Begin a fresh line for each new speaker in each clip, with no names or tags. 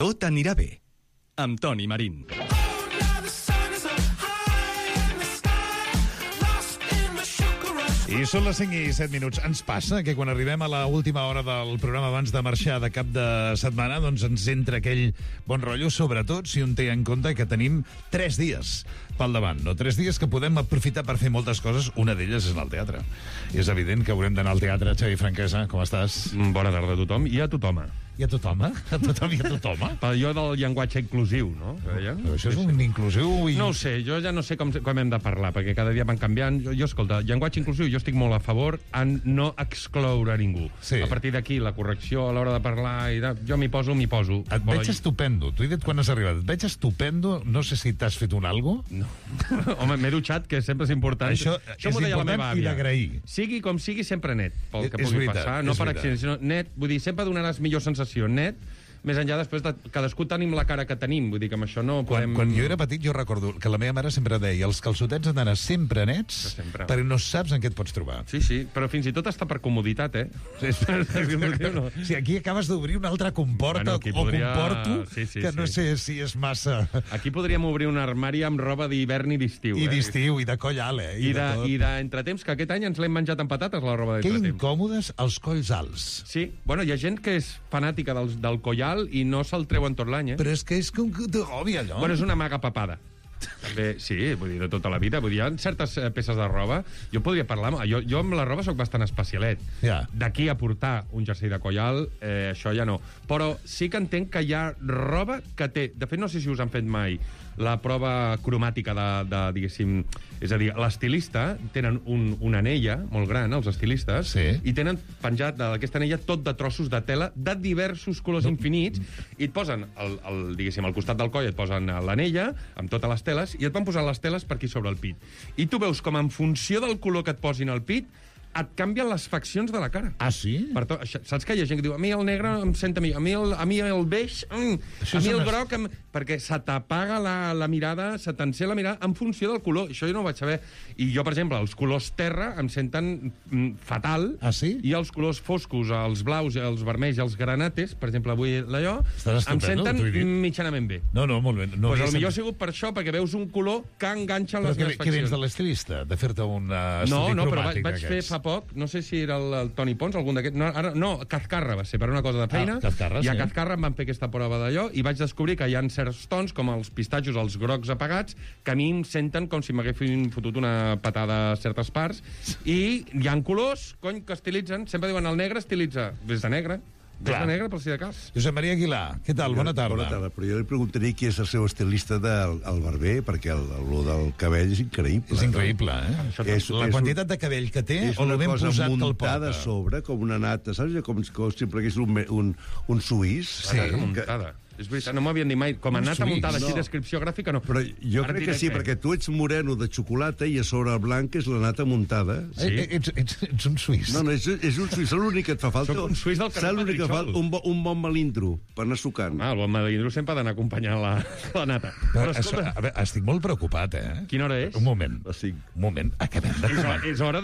Tot anirà bé, amb Toni Marín.
I són les 5 i 7 minuts. Ens passa que quan arribem a l'última hora del programa abans de marxar de cap de setmana, doncs ens entra aquell bon rotllo, sobretot si un té en compte que tenim 3 dies pel davant, no? 3 dies que podem aprofitar per fer moltes coses. Una d'elles és anar al teatre. I és evident que haurem d'anar al teatre. Xavi Franquesa, com estàs?
Bona tarda a tothom i a tothom.
I a tothom? A tothom i a tothom?
Per allò del llenguatge inclusiu, no?
Però això és un inclusiu i...
No ho sé, jo ja no sé com hem de parlar, perquè cada dia van canviant. Jo escolta, llenguatge inclusiu, jo estic molt a favor en no excloure ningú.
Sí.
A partir d'aquí, la correcció a l'hora de parlar, jo m'hi poso.
Et veig estupendo. T'ho he dit quan has arribat. Et veig estupendo. No sé si t'has fet un algo.
No. Home, m'he dutxat, que sempre és important.
Això és
m'ho deia la meva
important i
àvia.
d'agrair.
Sigui com sigui, sempre net, pel que
És
pugui
veritat,
passar. No
és
per
veritat.
accident, sinó net. Vull dir, sempre donaràs millor sensació net, més enllà després de cadascú tenim la cara que tenim. Vull dir que amb això no podem...
Quan jo era petit jo recordo que la meva mare sempre deia els calçotets han d'anar sempre nets
Sempre.
perquè no saps en què et pots trobar.
Sí, però fins i tot està per comoditat, eh?
No. Si aquí acabes d'obrir una altra comporta
Bueno, aquí
o
podria-
comporto
sí,
que no sé si és massa...
Aquí podríem obrir un armari amb roba d'hivern i d'estiu.
I d'estiu, i de coll alt,
I
de tot.
d'entretemps, que aquest any ens l'hem menjat amb patates, la roba
Que
d'entretemps.
incòmodes els colls alts.
Sí, bueno, hi ha gent que és fanàtica del collal i no se'l treuen tot l'any, eh?
Però és que és com que t'agobi allò.
Bueno, és una maga papada. També, sí, vull dir, de tota la vida. Vull dir, hi ha certes peces de roba... Jo podria parlar... Jo amb la roba sóc bastant especialet.
Ja.
D'aquí a portar un jersei de coll alt, això ja no. Però sí que entenc que hi ha roba que té... De fet, no sé si us han fet mai la prova cromàtica de diguéssim... És a dir, l'estilista tenen una anella molt gran, els estilistes,
Sí.
i tenen penjat d'aquesta anella tot de trossos de tela de diversos colors infinits, i et posen, diguéssim, al costat del coll et posen l'anella, amb totes les teles, i et van posar les teles per aquí sobre el pit. I tu veus com en funció del color que et posin al pit, et canvien les faccions de la cara.
Ah, sí?
Per tot, saps que hi ha gent que diu a mi el negre em sent a mi el beix, a mi el groc perquè se t'apaga la mirada, se t'encén la mirada en funció del color. Això jo no ho vaig saber. I jo, per exemple, els colors terra em senten fatal.
Ah, sí?
I els colors foscos, els blaus, els vermells i els granates, per exemple, avui allò,
Estàs
em
estupendo,
senten
t'ho he dit.
mitjanament bé.
No, molt bé. No
Pues
havia
potser ha
sentit-
sigut per això, perquè veus un color que enganxa les
Però
meves
què vens
faccions.
de l'estilista? De fer-te un estudi
No, però
cromàtic
vaig fer
d'aquests?
fa poc, no sé si era el Toni Pons, algun d'aquests, no, Cazcarra va ser per una cosa de feina,
Cazcarra,
i a
sí.
Cazcarra em van fer aquesta prova d'allò, i vaig descobrir que hi ha certs tons, com els pistatxos, els grocs apagats, que a mi em senten com si m'haguessin fotut una patada a certes parts, i hi ha colors, cony, que estilitzen, sempre diuen el negre estilitza, des de negre,
Clar.
de negre, per si de cas.
Josep Maria Aguilar, què tal? Bona tarda.
Bona tarda, però jo li preguntaré qui és el seu estilista el barber, perquè lo del cabell és increïble.
És increïble, eh? La quantitat de cabell que té
És
o el
una
ben
cosa
posat que el
muntada a
porta.
sobre, com una nata, saps? Com si plegués un suís.
Sí.
Muntada. És veritat, no m'havien dit mai. Com a
Un
nata
suís.
muntada així,
No.
descripció gràfica, no.
Però jo
Ara
crec que
diré
sí, perquè tu ets moreno de xocolata i a sobre el blanc és la nata muntada.
Sí.
Ets un suís.
No, és un suís, és l'únic que et fa falta.
Sóc un suís del carrer
Saps l'únic que fa?
Petritxol.
Un bon melindro per anar sucant.
El bon melindro sempre ha d'anar acompanyant la nata. Però, escolta,
A veure, estic molt preocupat, eh?
quina hora és?
Un moment.
A 5.
Un moment. Acabem de començar.
És hora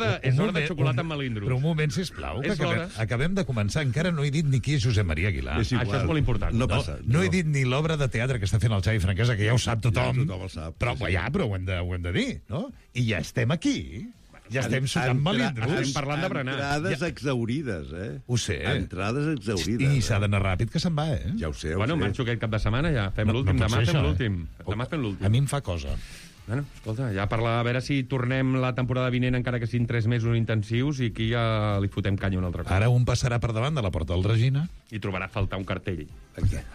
de xocolata amb melindros.
Però un moment, sisplau, que
És l'hora.
acabem de començar. Encara no he dit ni qui és Josep Maria Aguilar.
És igual.
Això és molt important.
No passa.
No he dit ni l'obra de teatre que està fent el Xavi Franquesa, que ja ho sap tothom.
Ja tothom ho sap,
Però,
sí.
però ho hem de dir, no? I ja estem aquí. Ja estem sucant melindros.
Estem parlant de berenar.
Entrades exaurides,
Ho sé.
Entrades exaurides.
I s'ha d'anar ràpid, que se'n va, eh?
Ja ho sé,
Bueno, marxo aquest cap de setmana ja. Fem l'últim.
pot
Demà
ser
fem
això,
l'últim.
eh?
Demà fem l'últim.
A mi em fa cosa.
Bueno, escolta, ja parlar, a veure si tornem la temporada vinent, encara que siguin 3 mesos intensius, i aquí ja li fotem canya un altre cop.
Ara un passarà per davant de la porta del Regina,
I trobarà a faltar un cartell.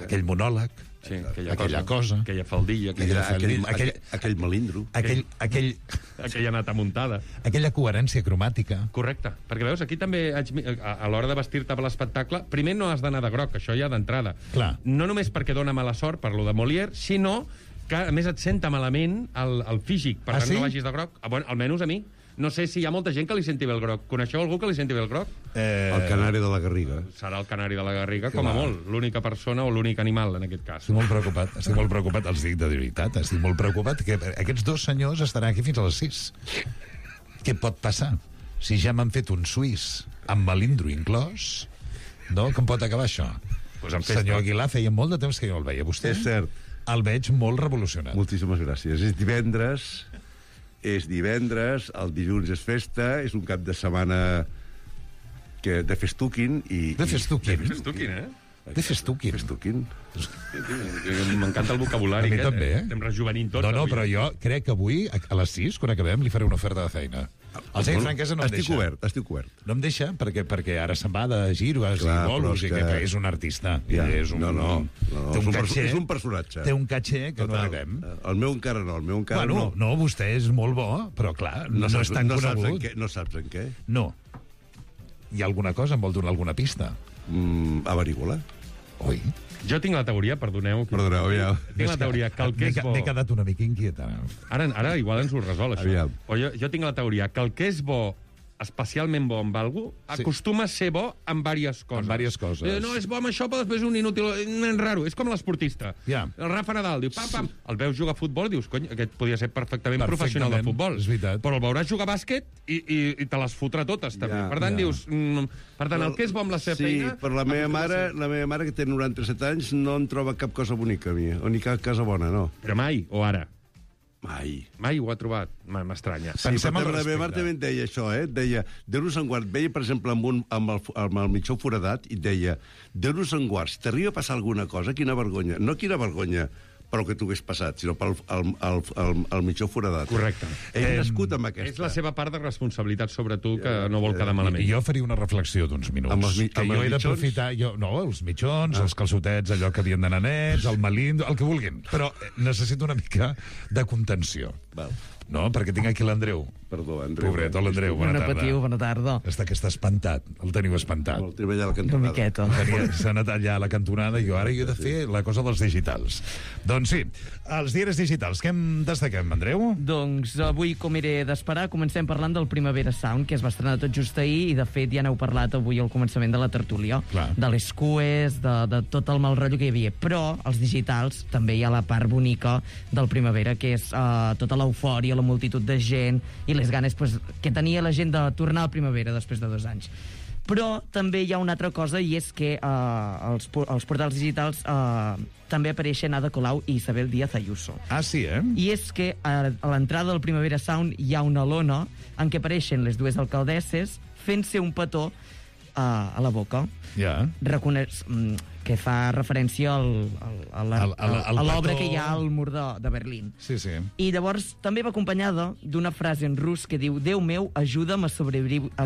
aquell monòleg,
Sí,
aquella cosa,
aquella faldilla,
Aquell melindro.
aquella nata muntada.
aquella coherència cromàtica.
Correcte, perquè veus, aquí també a l'hora de vestir-te per l'espectacle, primer no has d'anar de groc, això ja d'entrada.
Clar.
No només perquè dona mala sort, per lo de Molière, sinó que a més et senta malament el físic, per tant
sí?
no vagis de groc. Bueno, almenys a mi. No sé si hi ha molta gent que li senti bé el groc. Coneixeu algú que li senti bé el groc?
El canari de la Garriga.
Serà el canari de la Garriga, com a molt. L'única persona o l'únic animal, en aquest cas.
Estic molt preocupat, els dic de veritat, estic molt preocupat que aquests dos senyors estaran aquí fins a les 6. Què pot passar? Si ja m'han fet un suís amb melindro inclòs, no? Com pot acabar això?
Pues en festa.
Senyor Aguilar, feia molt de temps que jo el veia. Vostè
És cert.
el veig molt revolucionat.
Moltíssimes gràcies. És divendres, el dilluns és festa, és un cap de setmana de festuquin i...
De festuquin?
És tu quin,
De festuquin.
Festuquin.
M'encanta el vocabulari.
A mi també, eh?
Estem rejuvenint tots.
No,
avui.
però jo crec que avui, a les 6, quan acabem, li faré una oferta de feina. El senyor Franquesa no em deixa.
Estic cobert.
No em deixa perquè ara se'n va de giros i bolos i que és un artista.
Ja.
És un, té un caché,
és un personatge.
Té un caché que no arribem.
El meu encara no,
Bueno, no, vostè és molt bo, però clar, no és tan conegut.
No saps en què?
No. Hi ha alguna cosa? Em vol donar alguna pista?
Averigua-la.
Oi?
Jo tinc la teoria, perdoneu.
Perdoneu, ja.
Tinc la teoria que el que és bo...
M'he quedat una mica inquieta.
Ara igual ens ho resol, això.
Aviam.
Però jo tinc la teoria que el que és bo, especialment bo amb algú, acostuma a ser bo amb diverses coses.
Amb diverses coses.
No, és bo amb això, però després un inútil, un raro. És com l'esportista.
Ja.
El Rafa Nadal diu, pam. El veus jugar a futbol, dius, cony, aquest podria ser perfectament professional de futbol.
És veritat.
Però el veuràs jugar a bàsquet i te les fotrà totes, també. Per tant, dius... Per tant, el que és bo amb la seva feina...
Sí, però la meva mare, que té 97 anys, no en troba cap cosa bonica a mi, o ni cap cosa bona, no.
Però mai, o ara?
Mai
ho ha trobat. M'estranya.
Sí, però la meva mare també em deia això, deia, Déu-nos en guard, veia, per exemple, amb el mitjó foradat, i deia, Déu-nos en guard, si t'arriba a passar alguna cosa, quina vergonya. No quina vergonya pel que t'ho hagués passat, sinó pel mitjó foradat.
Correcte.
Ell nascut amb aquesta.
És la seva part de responsabilitat sobre tu, que no vol quedar malament.
Jo faria una reflexió d'uns minuts. Que jo he d'aprofitar... No, els mitjons, els calçotets, allò que havien d'anar nets, el malindo, el que vulguin. Però necessito una mica de contenció.
Val.
No, perquè tinc aquí l'Andreu.
Perdó, Andreu.
Pobret, l'Andreu, bona tarda.
Patiu, bona tarda.
Està espantat, el teniu espantat.
El treball a la
Una
cantonada.
miqueta.
S'ha anat allà a la cantonada i jo ara he de fer la cosa dels digitals. Doncs sí, els diaris digitals, què en destaquem, Andreu?
Doncs avui, com era d'esperar, comencem parlant del Primavera Sound, que es va estrenar tot just ahir, i de fet ja n'heu parlat avui al començament de la tertúlia.
Clar.
De les cues, de tot el mal rotllo que hi havia. Però, als digitals, també hi ha la part bonica del Primavera, que és tota l'eufòria, la multitud de gent i les ganes que tenia la gent de tornar a Primavera després de 2 anys. Però també hi ha una altra cosa, i és que als portals digitals també apareixen Ada Colau i Isabel Díaz Ayuso.
Ah, sí,
I és que a l'entrada del Primavera Sound hi ha una lona en què apareixen les dues alcaldesses fent-se un petó a la boca.
Ja.
Que fa referència a l'obra que hi ha al mur de Berlín.
Sí, sí.
I llavors també va acompanyada d'una frase en rus que diu: Déu meu, ajuda'm a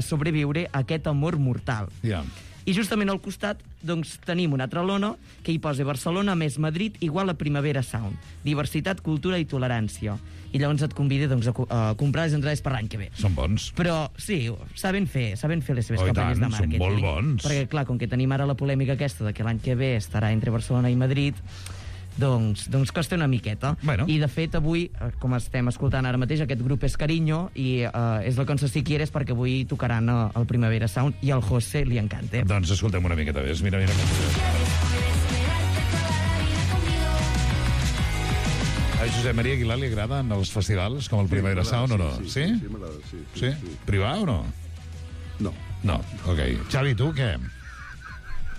sobreviure a aquest amor mortal.
Ja.
I justament al costat doncs, tenim una altra lona que hi posa Barcelona més Madrid igual a Primavera Sound. Diversitat, cultura i tolerància. I llavors et convida doncs, a comprar les entrades per l'any que ve.
Són bons.
Però sí, saben fer les seves
Oh, i
campanyes
tant,
de màrqueting.
són molt bons.
Perquè clar, com que tenim ara la polèmica aquesta de que l'any que ve estarà entre Barcelona i Madrid, doncs costa una miqueta.
Bueno.
I de fet avui, com estem escoltant ara mateix, aquest grup és Cariño i és la cançó Si Quieres, perquè avui tocaran el Primavera Sound i al José li encanta.
Doncs escoltem una miqueta més. Mira. A Josep Maria Aguilar li agraden els festivals com el Primavera Sound o no?
Sí, m'agrada, sí.
Sí? Privar o no?
No.
No, ok. Xavi, tu què?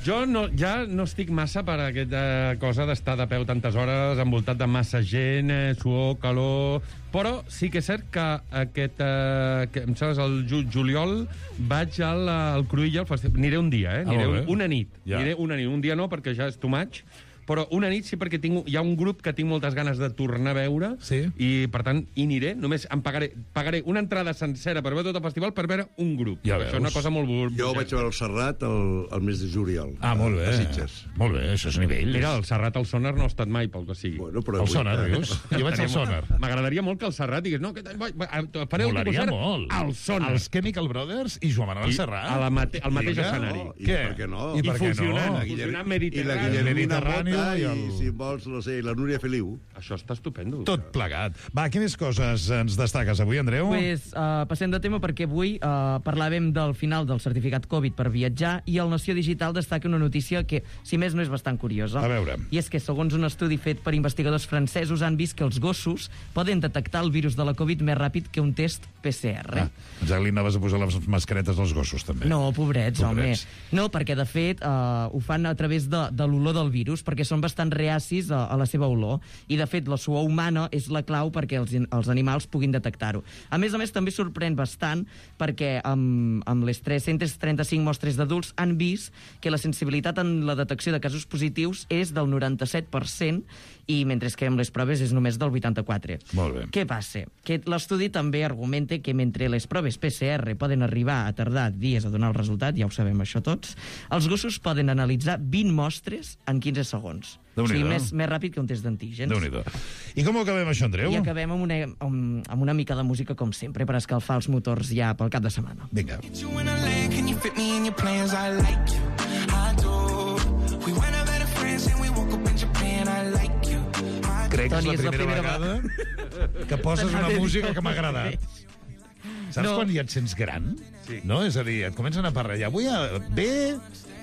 Jo ja no estic massa per aquesta cosa d'estar de peu tantes hores, envoltat de massa gent, suor, calor... Però sí que és cert que em sembla, el juliol vaig al Cruïlla, al festival. Aniré un dia, aniré una nit.
Ja.
Aniré una nit. Un dia no, perquè ja és too much. Però una nit sí, perquè hi ha un grup que tinc moltes ganes de tornar a veure,
Sí.
i per tant hi aniré, només em pagaré una entrada sencera per veure tot el festival per veure un grup.
Ja
Això és una
veus.
cosa molt...
Jo vaig veure el Serrat el mes de juliol.
Ah, molt bé.
A Sitges.
Molt bé, això és nivell.
Mira, el Serrat al Sonar no ha estat mai, pel que sigui.
Bueno, però
El Sonar, dius? Jo vaig al Sonar.
M'agradaria molt que el Serrat digués, no, aquest any fareu el
Molaria
concert
molt.
al Sonar.
Els Chemical Brothers i Joan Manuel Serrat.
Al mateix
Vinga.
escenari.
I per què no?
I per què
funcionant,
no?
funcionant
I la
Mediterrani.
Guillermina
Mediterrani, Rosselló
allà
i el...
i, si vols, no sé, la Núria Feliu.
Això està estupendo.
Tot plegat. Va, quines coses ens destaques avui, Andreu?
Pues, passem de tema perquè avui parlàvem del final del certificat Covid per viatjar i el Nació Digital destaca una notícia que, si més no, és bastant curiosa.
A veure.
I és que, segons un estudi fet per investigadors francesos, han vist que els gossos poden detectar el virus de la Covid més ràpid que un test PCR.
Ja li anaves a posar les mascaretes als gossos, també.
No, pobrets,
Pobrets.
home. No, perquè, de fet, ho fan a través de l'olor del virus, perquè són bastant reacis a la seva olor. I, de fet, la suor humana és la clau perquè els animals puguin detectar-ho. A més, també sorprèn bastant perquè amb les 335 mostres d'adults han vist que la sensibilitat en la detecció de casos positius és del 97% i mentre que amb les proves és només del 84%.
Molt bé.
Què passa? Que l'estudi també argumenta que mentre les proves PCR poden arribar a tardar dies a donar el resultat, ja ho sabem això tots, els gossos poden analitzar 20 mostres en 15 segons. O sigui, més ràpid que un test d'antígens.
Déu-n'hi-do. I com ho acabem, això, Andreu?
I acabem amb una mica de música, com sempre, per escalfar els motors ja pel cap de setmana.
Vinga. Crec que
Toni,
és la primera vegada que poses una música que m'ha agradat. Saps quan ja et sents gran?
Sí.
No? És a dir, et comencen a parlar. Avui ve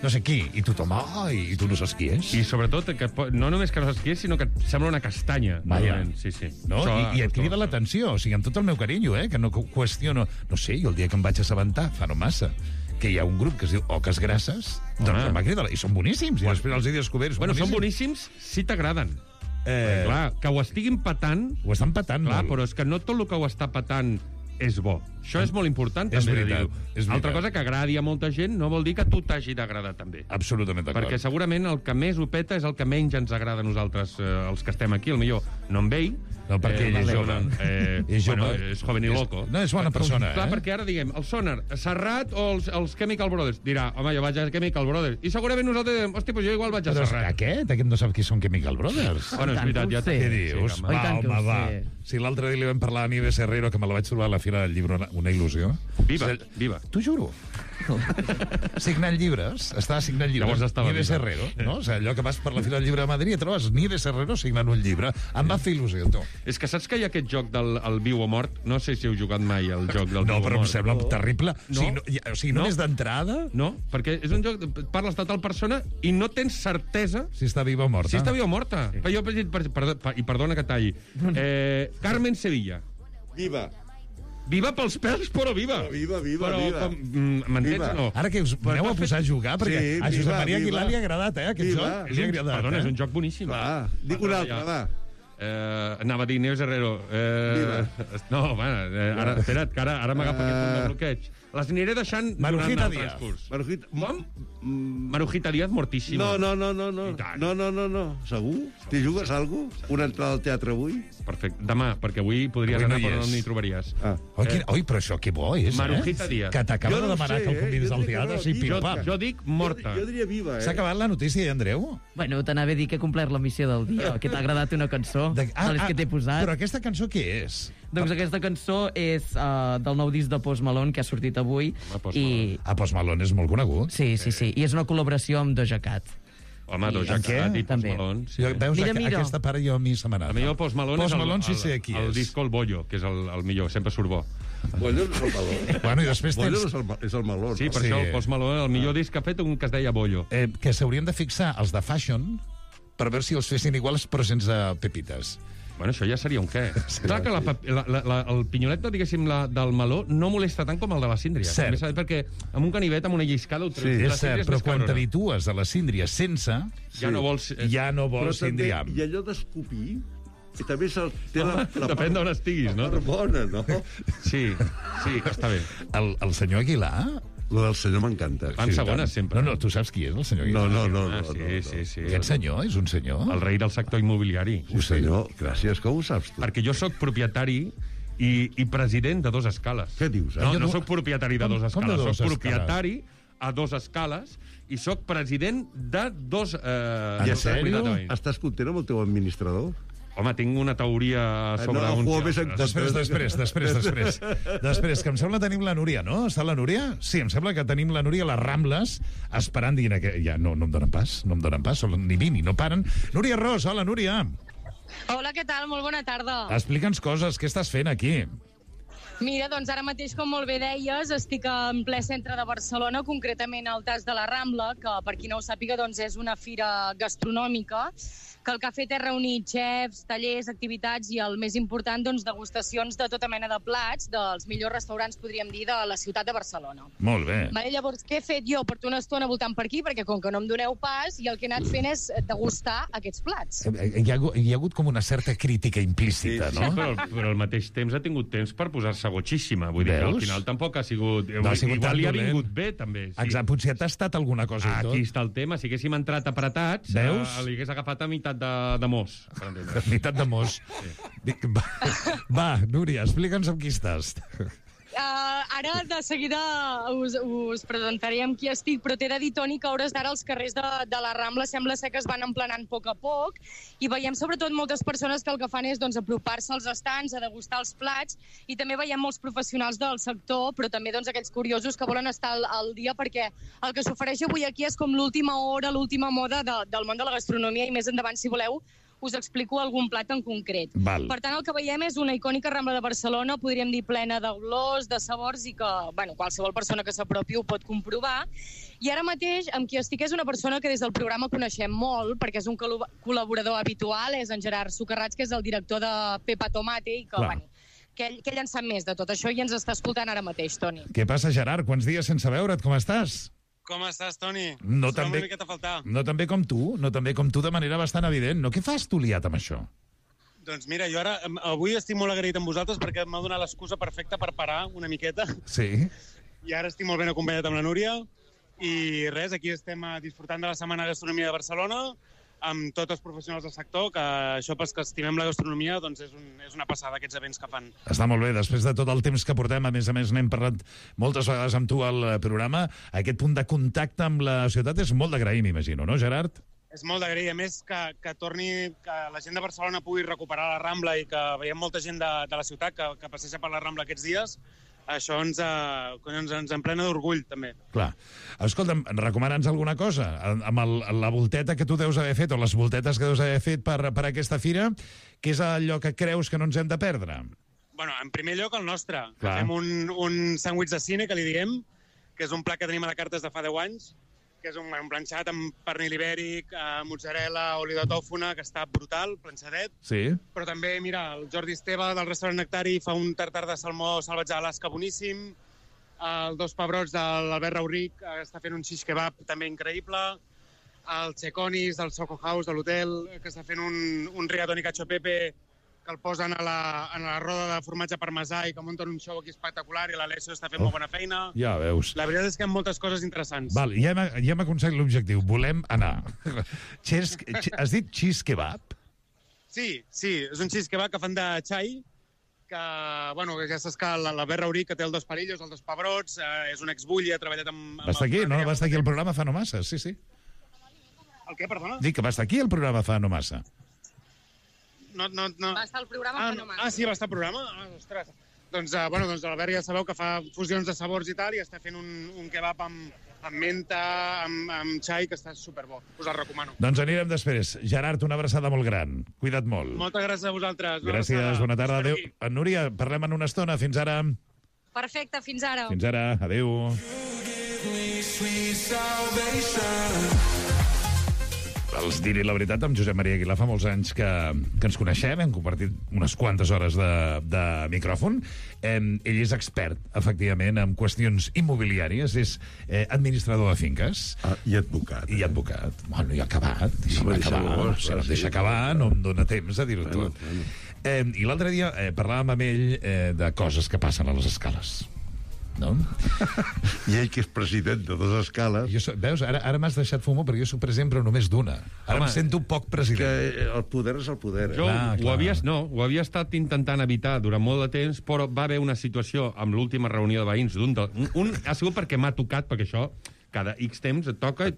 no sé qui, i tothom, i tu no saps qui és.
I sobretot, que no només que no saps qui és, sinó que et sembla una castanya.
Vaja.
Sí, sí.
No?
Això,
I et crida l'atenció, o sigui, amb tot el meu carinyo, que no qüestiono... No sé, jo el dia que em vaig assabentar, fa no massa, que hi ha un grup que es diu Oques Grasses, doncs em va cridar... I són boníssims, i després els he descobert...
Bueno, són boníssims si t'agraden. Clar, que ho estiguin patant...
Ho estan patant
Clar,
molt.
però és que no tot el que ho està patant és bo. Això és molt important,
És
també,
veritat,
de dir-ho.
és veritat.
Altra cosa que agradi a molta gent no vol dir que a tu t'hagi d'agradar també.
Absolutament d'acord.
Perquè segurament el que més ho peta és el que menys ens agrada a nosaltres, els que estem aquí. Potser no amb ell.
No, perquè ell és jove. És jove.
Bueno, és joven i loco.
No, és bona persona,
Clar, perquè ara diguem, el Sonar, Serrat o els Chemical Brothers? Dirà, home, jo vaig a Chemical Brothers. I segurament nosaltres direm, hòstia, doncs jo igual vaig a
Però
Serrat.
Aquest no sap qui són Chemical Brothers.
Bueno, és veritat, ja
sé.
Què dius?
home. I tant que ho
va.
sé.
Si l'altre dia li vam parlar a Nieves Herrero, que me la vaig trobar a la Fira del Llibre, una il·lusió.
Viva, viva.
T'ho juro. Signant llibres, estava signant llibres.
Llavors estava
Nieves
viva.
Herrero, no? O sigui, allò que vas per la Fira del Llibre de Madrid i trobes Nieves Herrero signant un llibre. Em va fer il·lusió, tu.
És que saps que hi ha aquest joc del viu o mort? No sé si heu jugat mai al joc del
No,
viu
però
o
em
mort.
sembla terrible.
No.
O sigui, només d'entrada,
No, perquè és un joc... Parles de tal persona i no tens certesa
si està viva o morta.
si està viva o morta. Sí. Jo, i perdona que talli. Carmen Sevilla.
Viva.
Viva pels pèls, però viva.
Viva, viva,
però,
viva.
M'entens
Viva.
o no?
Ara que us aneu a posar a jugar, perquè
Sí,
a Josep
viva,
Maria Aguilar
viva.
li ha agradat, aquest
Viva.
joc. Li ha agradat,
Perdona, és un joc boníssim.
Clar, dic un altre, va.
Anava a dir Neus Herrero. No, va, ara, espera't, que ara m'agafa aquest punt de bloqueig. Les aniré deixant
Marujita
durant el
Díaz.
transcurs.
Marujita...
Com? Marujita Díaz mortíssima.
No.
I tant.
No. Segur? T'hi jugues alguna cosa? Una entrada al teatre avui?
Perfecte. Demà, perquè avui podries
Avui no
anar
hi
però no
és.
n'hi trobaries.
Ah.
Oi, però això que bo és,
Marujita Díaz.
Que t'acaba
Jo
de
no
demanar
sé,
que el convidis
jo
al
diria que
teatre,
no,
sí,
jo-
pim-pam.
Jo dic morta.
Jo diria viva,
S'ha acabat la notícia, Andreu?
Bueno, t'anava a dir que he complert la missió del dia, que t'ha agradat una cançó, de les que t'he posat.
Però aquesta cançó què és?
Doncs aquesta cançó és del nou disc de Post Malone, que ha sortit avui.
Home, Post
I...
A Post Malone és molt conegut.
Sí. I és una col·laboració amb Doja Cat.
Home, Doja
què?
Cat i Post
També.
Malone. Sí.
Jo, veus,
Mira.
aquesta part jo a mi se m'ha anat.
A mi el Post Malone
Post
és
Malone sí sé qui
el
és.
disco El Bollo, que és el millor, sempre surt bo.
Bollo no és el meló.
Bueno, i després
Bollo
tens...
és el meló.
Sí,
no?
per
Sí.
això el Post Malone, el millor disc que ha fet un que es deia Bollo.
Que s'haurien de fixar els de Fashion per veure si els fessin iguals però sense pepites.
Bueno, això ja seria un què. Clar que el pinyolet, diguéssim, del meló no molesta tant com el de la síndria.
Cert.
També s'ha dit perquè amb un canivet, amb una lliscada...
Sí,
És cert, però quan t'habitues a la síndria sense,
Ja no vols...
ja no
Però
vols
també,
síndria.
i allò d'escopir, que també té la
Depèn d'on estiguis, no?
La part bona, no?
Sí, està bé.
El senyor Aguilar...
Lo del senyor m'encanta.
Van segones, sempre.
No, tu saps qui és el senyor Aguilar?
No.
Sí.
Aquest senyor és un senyor?
El rei del sector immobiliari.
Sí, senyor, gràcies, com ho saps tu?
Perquè jo sóc propietari i president de Dos Escales.
Què dius,
No,
Jo
no
no-
sóc propietari de
Com-
Dos
com de
Escales,
Dos
soc
Escales?
propietari a Dos Escales i sóc president de dos...
I en sèrio? Estàs content amb el teu administrador?
Home, tinc una teoria sobre
No,
uns
juego
i
més en
altres.
Després, que em sembla tenim la Núria, no? Està la Núria? Sí, em sembla que tenim la Núria a les Rambles esperant, dient que ja no em donen pas, ni vini, no paren. Núria Ros, hola, Núria.
Hola, què tal? Molt bona tarda.
Explica'ns coses, què estàs fent aquí?
Mira, doncs ara mateix, com molt bé deies, estic en ple centre de Barcelona, concretament al Tas de la Rambla, que per qui no ho sàpiga doncs és una fira gastronòmica que el que ha fet és reunir xefs, tallers, activitats i el més important, doncs, degustacions de tota mena de plats dels millors restaurants, podríem dir, de la ciutat de Barcelona.
Molt bé.
Vale, llavors, què he fet jo? Porto una estona voltant per aquí, perquè com que no em doneu pas, i el que he anat fent és degustar aquests plats.
Hi ha hagut com una certa crítica implícita,
Sí,
no?
Però al mateix temps ha tingut temps per posar-se gotxíssima. Vull dir que
Veus?
al final tampoc ha sigut...
No ha sigut tan
igual li ha
dolent.
vingut bé, també. Sí.
Exacte, potser ha tastat alguna cosa i tot.
Aquí està el tema. Si haguéssim entrat apretats,
Veus?
li hagués agafat a meitat de mos. Per entendre.
Unitat de mos. Dic, va, Núria, explica'ns amb qui estàs.
Ara de seguida us presentaré amb qui estic, però t'he de dir, Toni, que a hores d'ara els carrers de la Rambla sembla ser que es van emplenant a poc i veiem sobretot moltes persones que el que fan és doncs, apropar-se als estants, a degustar els plats, i també veiem molts professionals del sector, però també doncs, aquells curiosos que volen estar al dia, perquè el que s'ofereix avui aquí és com l'última hora, l'última moda del món de la gastronomia, i més endavant, si voleu, us explico algun plat en concret.
Val.
Per tant, el que veiem és una icònica Rambla de Barcelona, podríem dir plena d'olors, de sabors, i que qualsevol persona que s'apropi ho pot comprovar. I ara mateix, amb qui estic és una persona que des del programa coneixem molt, perquè és un col·laborador habitual, és en Gerard Socarrats, que és el director de Pepa Tomate, i que ell en sap més de tot això i ens està escoltant ara mateix, Toni.
Què passa, Gerard? Quants dies sense veure't? Com estàs?
Com estàs, Toni?
No
Trobem
també-
una miqueta a faltar.
No tan bé com tu, de manera bastant evident. No? Què fas tu liat amb això?
Doncs mira, jo avui estic molt agraït amb vosaltres perquè m'ha donat l'excusa perfecta per parar una miqueta.
Sí.
I ara estic molt ben acompanyat amb la Núria. I res, aquí estem disfrutant de la Setmana de Gastronomia de Barcelona amb tots els professionals del sector, que això pels que estimem la gastronomia doncs és una passada, aquests events que fan.
Està molt bé. Després de tot el temps que portem, a més n'hem parlat moltes vegades amb tu al programa, aquest punt de contacte amb la ciutat és molt d'agrair, m'imagino, no, Gerard?
És molt d'agrair, a més que la gent de Barcelona pugui recuperar la Rambla i que veiem molta gent de la ciutat que passeja per la Rambla aquests dies. Això ens emplena d'orgull, també.
Clar. Escolta'm, recomana'ns alguna cosa. Amb la volteta que tu deus haver fet, o les voltetes que deus haver fet per aquesta fira, què és allò que creus que no ens hem de perdre?
Bueno, en primer lloc, el nostre.
Clar.
Fem un sàndwich de cine, que li diem, que és un plat que tenim a la carta des de fa 10 anys, que és un planxat amb pernil ibèric, mozzarella, oli de tòfona, que està brutal, planxadet.
Sí.
Però també, mira, el Jordi Esteve del restaurant Nectari fa un tartar de salmó salvatge d'Alaska boníssim. El Dos Pebrots de l'Albert Rauric està fent un shish kebab també increïble. El Checonis del Soco House de l'hotel, que està fent un rigatoni cacio pepe, que el posen a la roda de formatge parmesà i que munten un show aquí espectacular, i l'Alessio està fent molt bona feina.
Ja veus.
La veritat és que hi ha moltes coses interessants.
Val, ja hem aconseguit l'objectiu. Volem anar. Has dit cheese kebab?
Sí, és un shish kebab que fan de xai, que ja saps que l'Albert Rauric, que té el Dos Perillos, el Dos Pebrots, és un exbulli, ha treballat amb...
Va estar aquí, no? Va estar aquí al programa fa no massa, sí.
El què, perdona?
Dic que va estar aquí al programa fa no massa.
No.
Va estar al programa fenomenal.
Sí, va estar al programa? Ostres. Doncs l'Albert ja sabeu que fa fusions de sabors i tal, i està fent un kebab amb menta, amb xai, que està superbo. Us el recomano.
Doncs anirem després. Gerard, una abraçada molt gran. Cuida't molt.
Moltes gràcies a vosaltres.
Gràcies, bona tarda. Adéu. Núria, parlem en una estona. Fins ara.
Perfecte, fins ara.
Fins ara. Adéu. Els diré la veritat, amb Josep Maria Aguilar fa molts anys que ens coneixem, hem compartit unes quantes hores de micròfon. Ell és expert, efectivament, en qüestions immobiliàries, és administrador de finques.
I advocat.
I advocat. Bueno, i acabat. Deixa acabar, no em dóna temps a dir-ho tot. I l'altre dia parlàvem amb ell de coses que passen a les escales. No?
I ell, que és president de 2 escales...
Veus, ara m'has deixat fumar perquè jo soc president però només d'una. Ara em sento poc president.
Que el poder és el poder.
Jo ho havia estat intentant evitar durant molt de temps, però va haver una situació amb l'última reunió de veïns un ha sigut perquè m'ha tocat, perquè això cada X temps et toca.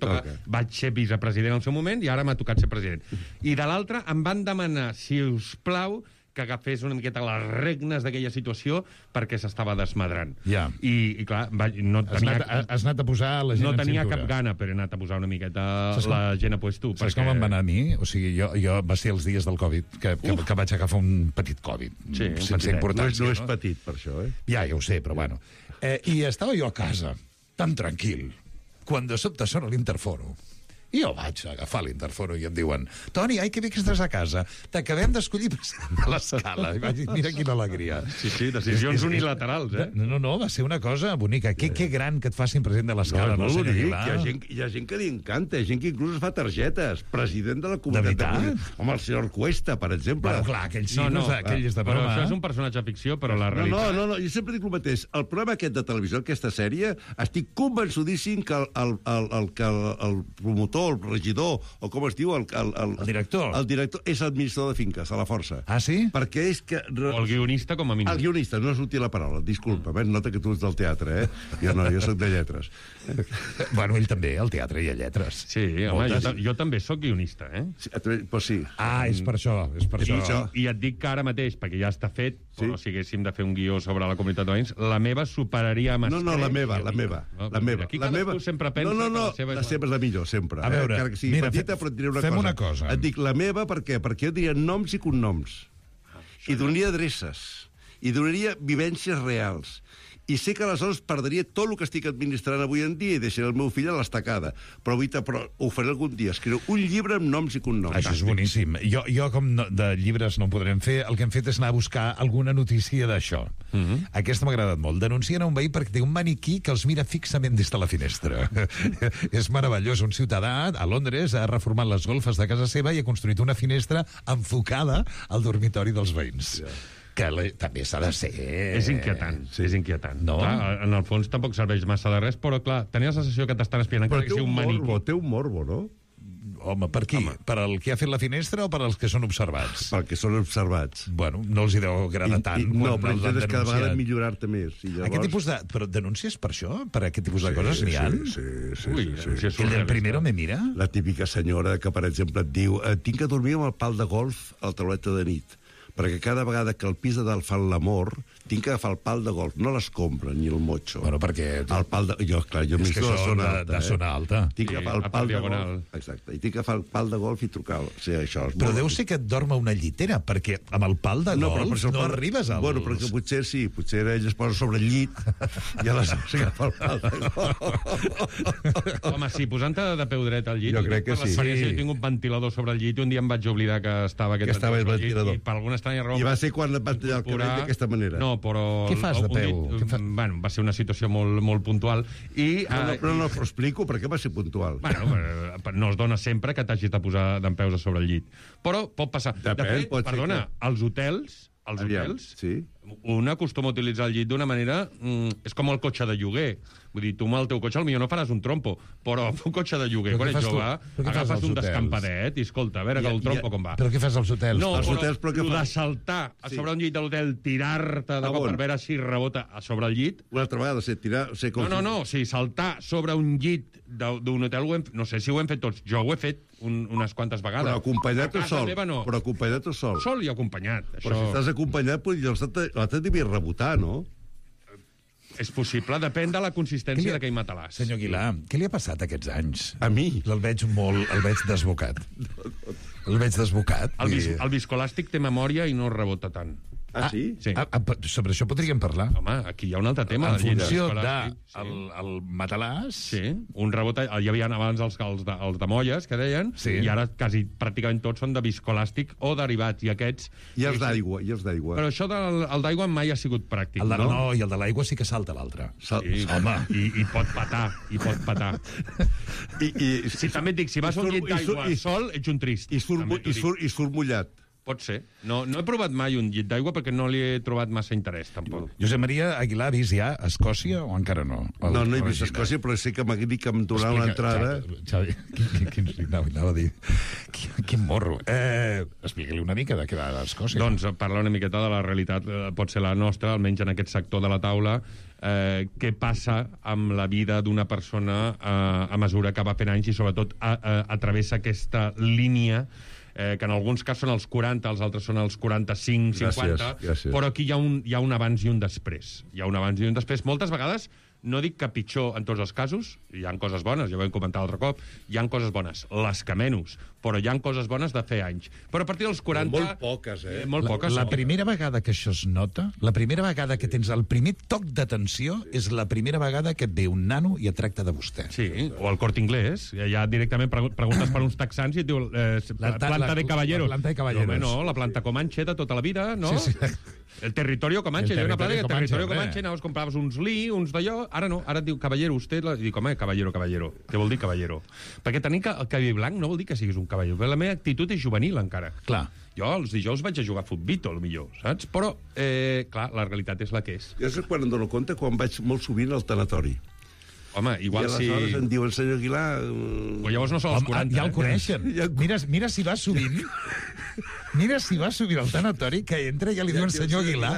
Vaig ser vicepresident al seu moment i ara m'ha tocat ser president. I de l'altre em van demanar, si us plau, que agafés una miqueta les regnes d'aquella situació perquè s'estava desmadrant.
Ja.
I clar,
Has anat a posar la gent
no
en
tenia
cintura.
cap gana, però he anat a posar una miqueta la gent a puesto.
Saps com em va anar a mi? O sigui, jo va ser els dies del Covid, que vaig agafar un petit Covid.
Sí,
sense importància.
No és petit, per això, eh?
Ja ho sé, però bueno. I estava jo a casa, tan tranquil, quan de sobte sona l'interfono. I jo vaig agafar l'interfono i em diuen: Toni, ai, que bé que estàs a casa. T'acabem d'escollir president de l'Escala. I vaig dir, mira quina alegria.
Sí, decisions unilaterals, eh?
No, va ser una cosa bonica. Que gran que et facin president de l'Escala, no, senyor Aguilar?
Hi ha gent que li encanta, hi ha gent que inclús es fa targetes. President de la comunitat de Madrid. Home, el senyor Cuesta, per exemple.
Bueno, clar, aquell sí, aquell és de
però
broma.
això és un personatge de ficció, però la realitat...
No, jo sempre dic el mateix. El programa aquest de televisió, aquesta sèrie, estic convençudíssim que el promotor, el regidor, o com es diu, el
director.
El director és administrador de finques, a la força.
Ah, sí?
Perquè és que...
O el guionista, com a mínim.
El guionista, no és útil la paraula, disculpa, nota que tu ets del teatre, eh? Jo no, jo soc de lletres.
Bueno, ell també, al teatre hi ha lletres.
Sí, home, jo també sóc guionista, eh?
Pues sí.
Ah, és per això,
I et dic que ara mateix, perquè ja està fet, però si haguéssim de fer un guió sobre la comunitat de veïns, la meva superaria amb
No, la meva.
Aquí cadascú sempre pensa que la seva
la seva és la millor, sempre.
A veure,
que sigui petita, però et diré
una cosa.
Et dic la meva, per què? Perquè jo diria noms i cognoms. I donaria adreces. I donaria vivències reals. I sé que aleshores perdria tot el que estic administrant avui en dia i deixaré el meu fill a l'estacada. Però ho faré algun dia. Escriuré un llibre amb noms i cognoms.
Això és boníssim. Jo com de llibres no en podrem fer, el que hem fet és anar a buscar alguna notícia d'això. Aquesta m'ha agradat molt. Denuncien a un veí perquè té un maniquí que els mira fixament des de la finestra. És meravellós. Un ciutadà a Londres ha reformat les golfes de casa seva i ha construït una finestra enfocada al dormitori dels veïns. Que també s'ha de ser...
És inquietant, és inquietant.
No?
Clar, en el fons tampoc serveix massa de res, però clar, tenia la sensació que t'estan espiant encara que sigui un maniquí.
Té un morbo, no?
Home, per qui? Per al que ha fet la finestra o per als que són observats?
Per que són observats.
Bueno, no els hi deu agradar tant.
No, però és cada vegada millorar-te més.
Aquest tipus de... Però denúncies per això? Per aquest tipus de coses n'hi ha?
Sí.
El primero me mira?
La típica senyora que, per exemple, et diu tinc que dormir amb el pal de golf al tauleta de nit, perquè cada vegada que el pis de dalt fan l'amor, tinc que agafar el pal de golf, no l'escombra ni el motxo.
Bueno, perquè...
El pal de... Jo
és que són de zona alta.
Tinc que agafar el pal de golf. Exacte, i tinc que agafar el pal de golf i trucar. O sigui, això és
però deu ser que et dorma una llitera, perquè amb el pal de golf no arribes als...
Bueno, perquè potser sí, potser ell es posa sobre el llit i aleshores agafa el pal de golf.
Home, sí, posant-te de peu dret al llit...
Jo crec que sí.
Jo tinc un ventilador sobre el llit i un dia em vaig oblidar que estava aquest
ventilador.
I per alguna estranya raó...
I va ser quan et van tallar el cabell d'aquesta manera.
No, però...
Què fas de peu?
Bueno, va ser una situació molt puntual.
Però no ho explico, per què va ser puntual?
Bueno, no es dona sempre que t'hagis de posar dempeus a sobre el llit. Però pot passar.
Depèn, pot ser que...
als hotels...
sí.
Un acostuma a utilitzar el llit d'una manera... és com el cotxe de lloguer. Vull dir, tu amb el teu cotxe potser no faràs un trompo, però amb un cotxe de lloguer, quan ets jove, agafes un descampadet i escolta, a veure el trompo com va.
Però què fas als hotels?
No, però de saltar a sobre un llit de l'hotel, tirar-te de cop per veure si rebota a sobre el llit...
Una altra vegada, tirar...
No, saltar sobre un llit d'un hotel, no sé si ho hem fet tots, jo ho he fet unes quantes vegades.
Però acompanyat o sol?
No.
Però acompanyat o sol?
Sol i acompanyat.
Però si estàs acompanyat, l'altre devia rebotar, no?
És possible, depèn de la consistència d'aquell matalàs.
Senyor Aguilar, què li ha passat aquests anys?
A mi?
El veig desbocat. El veig desbocat.
El viscolàstic té memòria i no rebota tant.
Ah, sí?
Sí.
Sobre això podríem parlar.
Home, aquí hi ha un altre tema.
En funció del matalàs...
Sí, un rebot... Hi havia abans els de molles, que deien, i ara quasi pràcticament tots són de viscolàstic o derivats, i aquests...
I els d'aigua.
Però això del d'aigua mai ha sigut pràctic, no?
No, i el de l'aigua sí que salta l'altre.
Home, i pot patar, I també et dic, si vas a un llit d'aigua sol, ets un trist.
I surt mullat.
Pot ser. No he provat mai un llit d'aigua perquè no li he trobat massa interès, tampoc.
Josep Maria Aguilar, ha vist ja a Escòcia o encara no?
No he vist Escòcia, però sé que m'ha dit que em donaran l'entrada.
Xavi, anava a dir... Quin morro. Explica-li una mica de què va a Escòcia.
Doncs parlar una miqueta de la realitat, pot ser la nostra, almenys en aquest sector de la taula, què passa amb la vida d'una persona a mesura que va fent anys i sobretot travessa aquesta línia que en alguns casos són els 40, els altres són els 45, 50,
gràcies.
però aquí hi ha un abans i un després. Hi ha un abans i un després. Moltes vegades, no dic que pitjor en tots els casos, hi ha coses bones, ja ho vam comentar l'altre cop, hi ha coses bones, les que menys, però hi ha coses bones de fer anys. Però a partir dels 40...
Molt poques,
Molt poques.
La primera vegada que això es nota, la primera vegada que tens el primer toc d'atenció, és la primera vegada que et ve un nano i et tracta de vostè.
Sí, o el Corte Inglés. Ja directament preguntes per uns texans i et diu planta de caballeros.
La planta de caballeros.
No, no, la planta Comanche de tota la vida, no?
Sí.
El territorio Comanche. Hi ha una planta que territorio Comanche,
home.
anaves, compraves uns Lee, uns d'allò, ara no, ara et diu caballero, usted, i dic, home, caballero. Què vol dir caballero? Perquè tenir el cabell blanc no vol dir que siguis un caballero. La meva actitud és juvenil, encara.
Clar.
Jo els dijous vaig a jugar a futbito, millor, saps? Però, clar, la realitat és la que és.
Jo sé quan em dono compte quan vaig molt sovint al tanatori.
Home, igual
I
si...
aleshores em diuen, senyor Aguilar...
Però llavors no són els 40.
Ja el coneixen. Mira si va sovint. Mira si va sovint al tanatori, que entra i ja li diuen senyor Aguilar.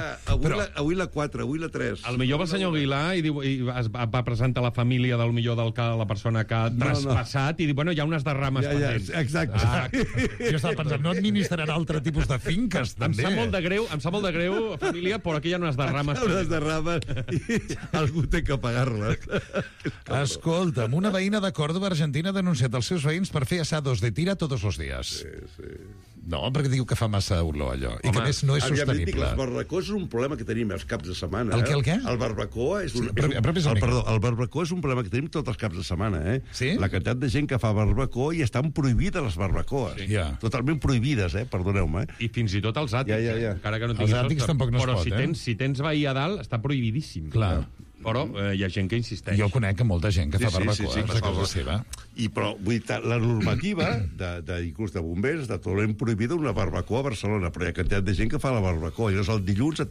Avui la 4, avui la 3.
Al millor va el senyor Aguilar i va presentar la família del millor del que la persona que ha traspassat i diu, bueno, hi ha unes derrames pendents.
Exacte.
Jo estava pensant, no administraran altre tipus de finques,
Em
també.
sap molt de greu, família, però aquí hi ha unes derrames
Unes derrames i algú té que pagar-les.
Escolta'm, una veïna de Córdoba, Argentina, ha denunciat els seus veïns per fer asados de tira tots els dies. Sí. No, perquè diu que fa massa olor, allò. I que, a més, no és sostenible.
Les barbacoes és un problema que tenim els caps de setmana.
El què?
El barbacoa és un...
el
barbacoa és un problema que tenim tots els caps de setmana,
Sí?
La quantitat de gent que fa barbacoa i estan prohibides les barbacoes.
Sí. Ja.
Totalment prohibides, perdoneu-me.
I fins i tot els àtics,
Ja.
encara que no
Els
tinguis
àtics
sostre.
tampoc no es
però
pot,
si tens veí a dalt, està prohibidíssim.
Clar.
Però hi ha gent que insisteix.
Jo conec molta gent que fa barbacoa
sí,
a casa seva.
Però vull dir, la normativa inclús de bombers, de totalment prohibida una barbacoa a Barcelona, però hi ha quantitat de gent que fa la barbacoa. Llavors el dilluns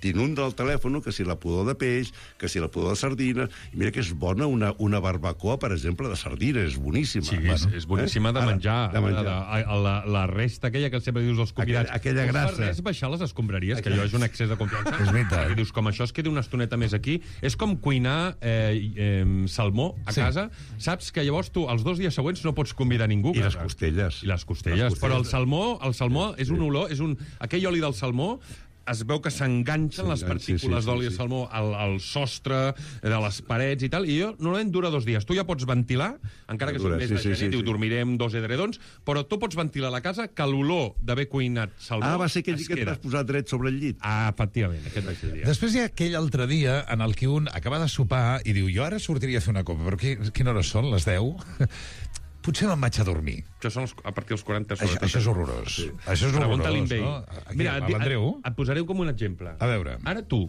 t'inunda el telèfon que si la pudor de peix, que si la pudor de sardina, i mira que és bona una barbacoa, per exemple, de sardina, és boníssima.
Sí, és boníssima de menjar. La resta aquella que sempre dius als convidats.
Aquella grassa.
Per res baixar les escombraries, que allò és un excés de confiança.
És veritat.
I dius, com això es queda una estoneta més aquí, és com cuinar salmó a casa. Saps que llavors tu els 2 dies següents no pots convidar ningú.
I les costelles.
Però el salmó és un olor, aquell oli del salmó es veu que s'enganxen les partícules d'oli de salmó al sostre de les parets i tal, i jo normalment dura 2 dies. Tu ja pots ventilar, encara que sigui més de gent, diu, dormirem 2 edredons, però tu pots ventilar la casa que l'olor d'haver cuinat salmó
va ser aquell que et vas posar dret sobre el llit.
Efectivament, aquest va ser el dia.
Després hi ha aquell altre dia en el que un acaba de sopar i diu, jo ara sortiria a fer una copa, però quina hora són, les 10? Potser me'n vaig a dormir.
Això són a partir dels 40.
Això és horrorós.
Sí.
Això és horrorós,
no? Mira,
l'Andreu?
Et posaré com un exemple.
A veure.
Ara tu,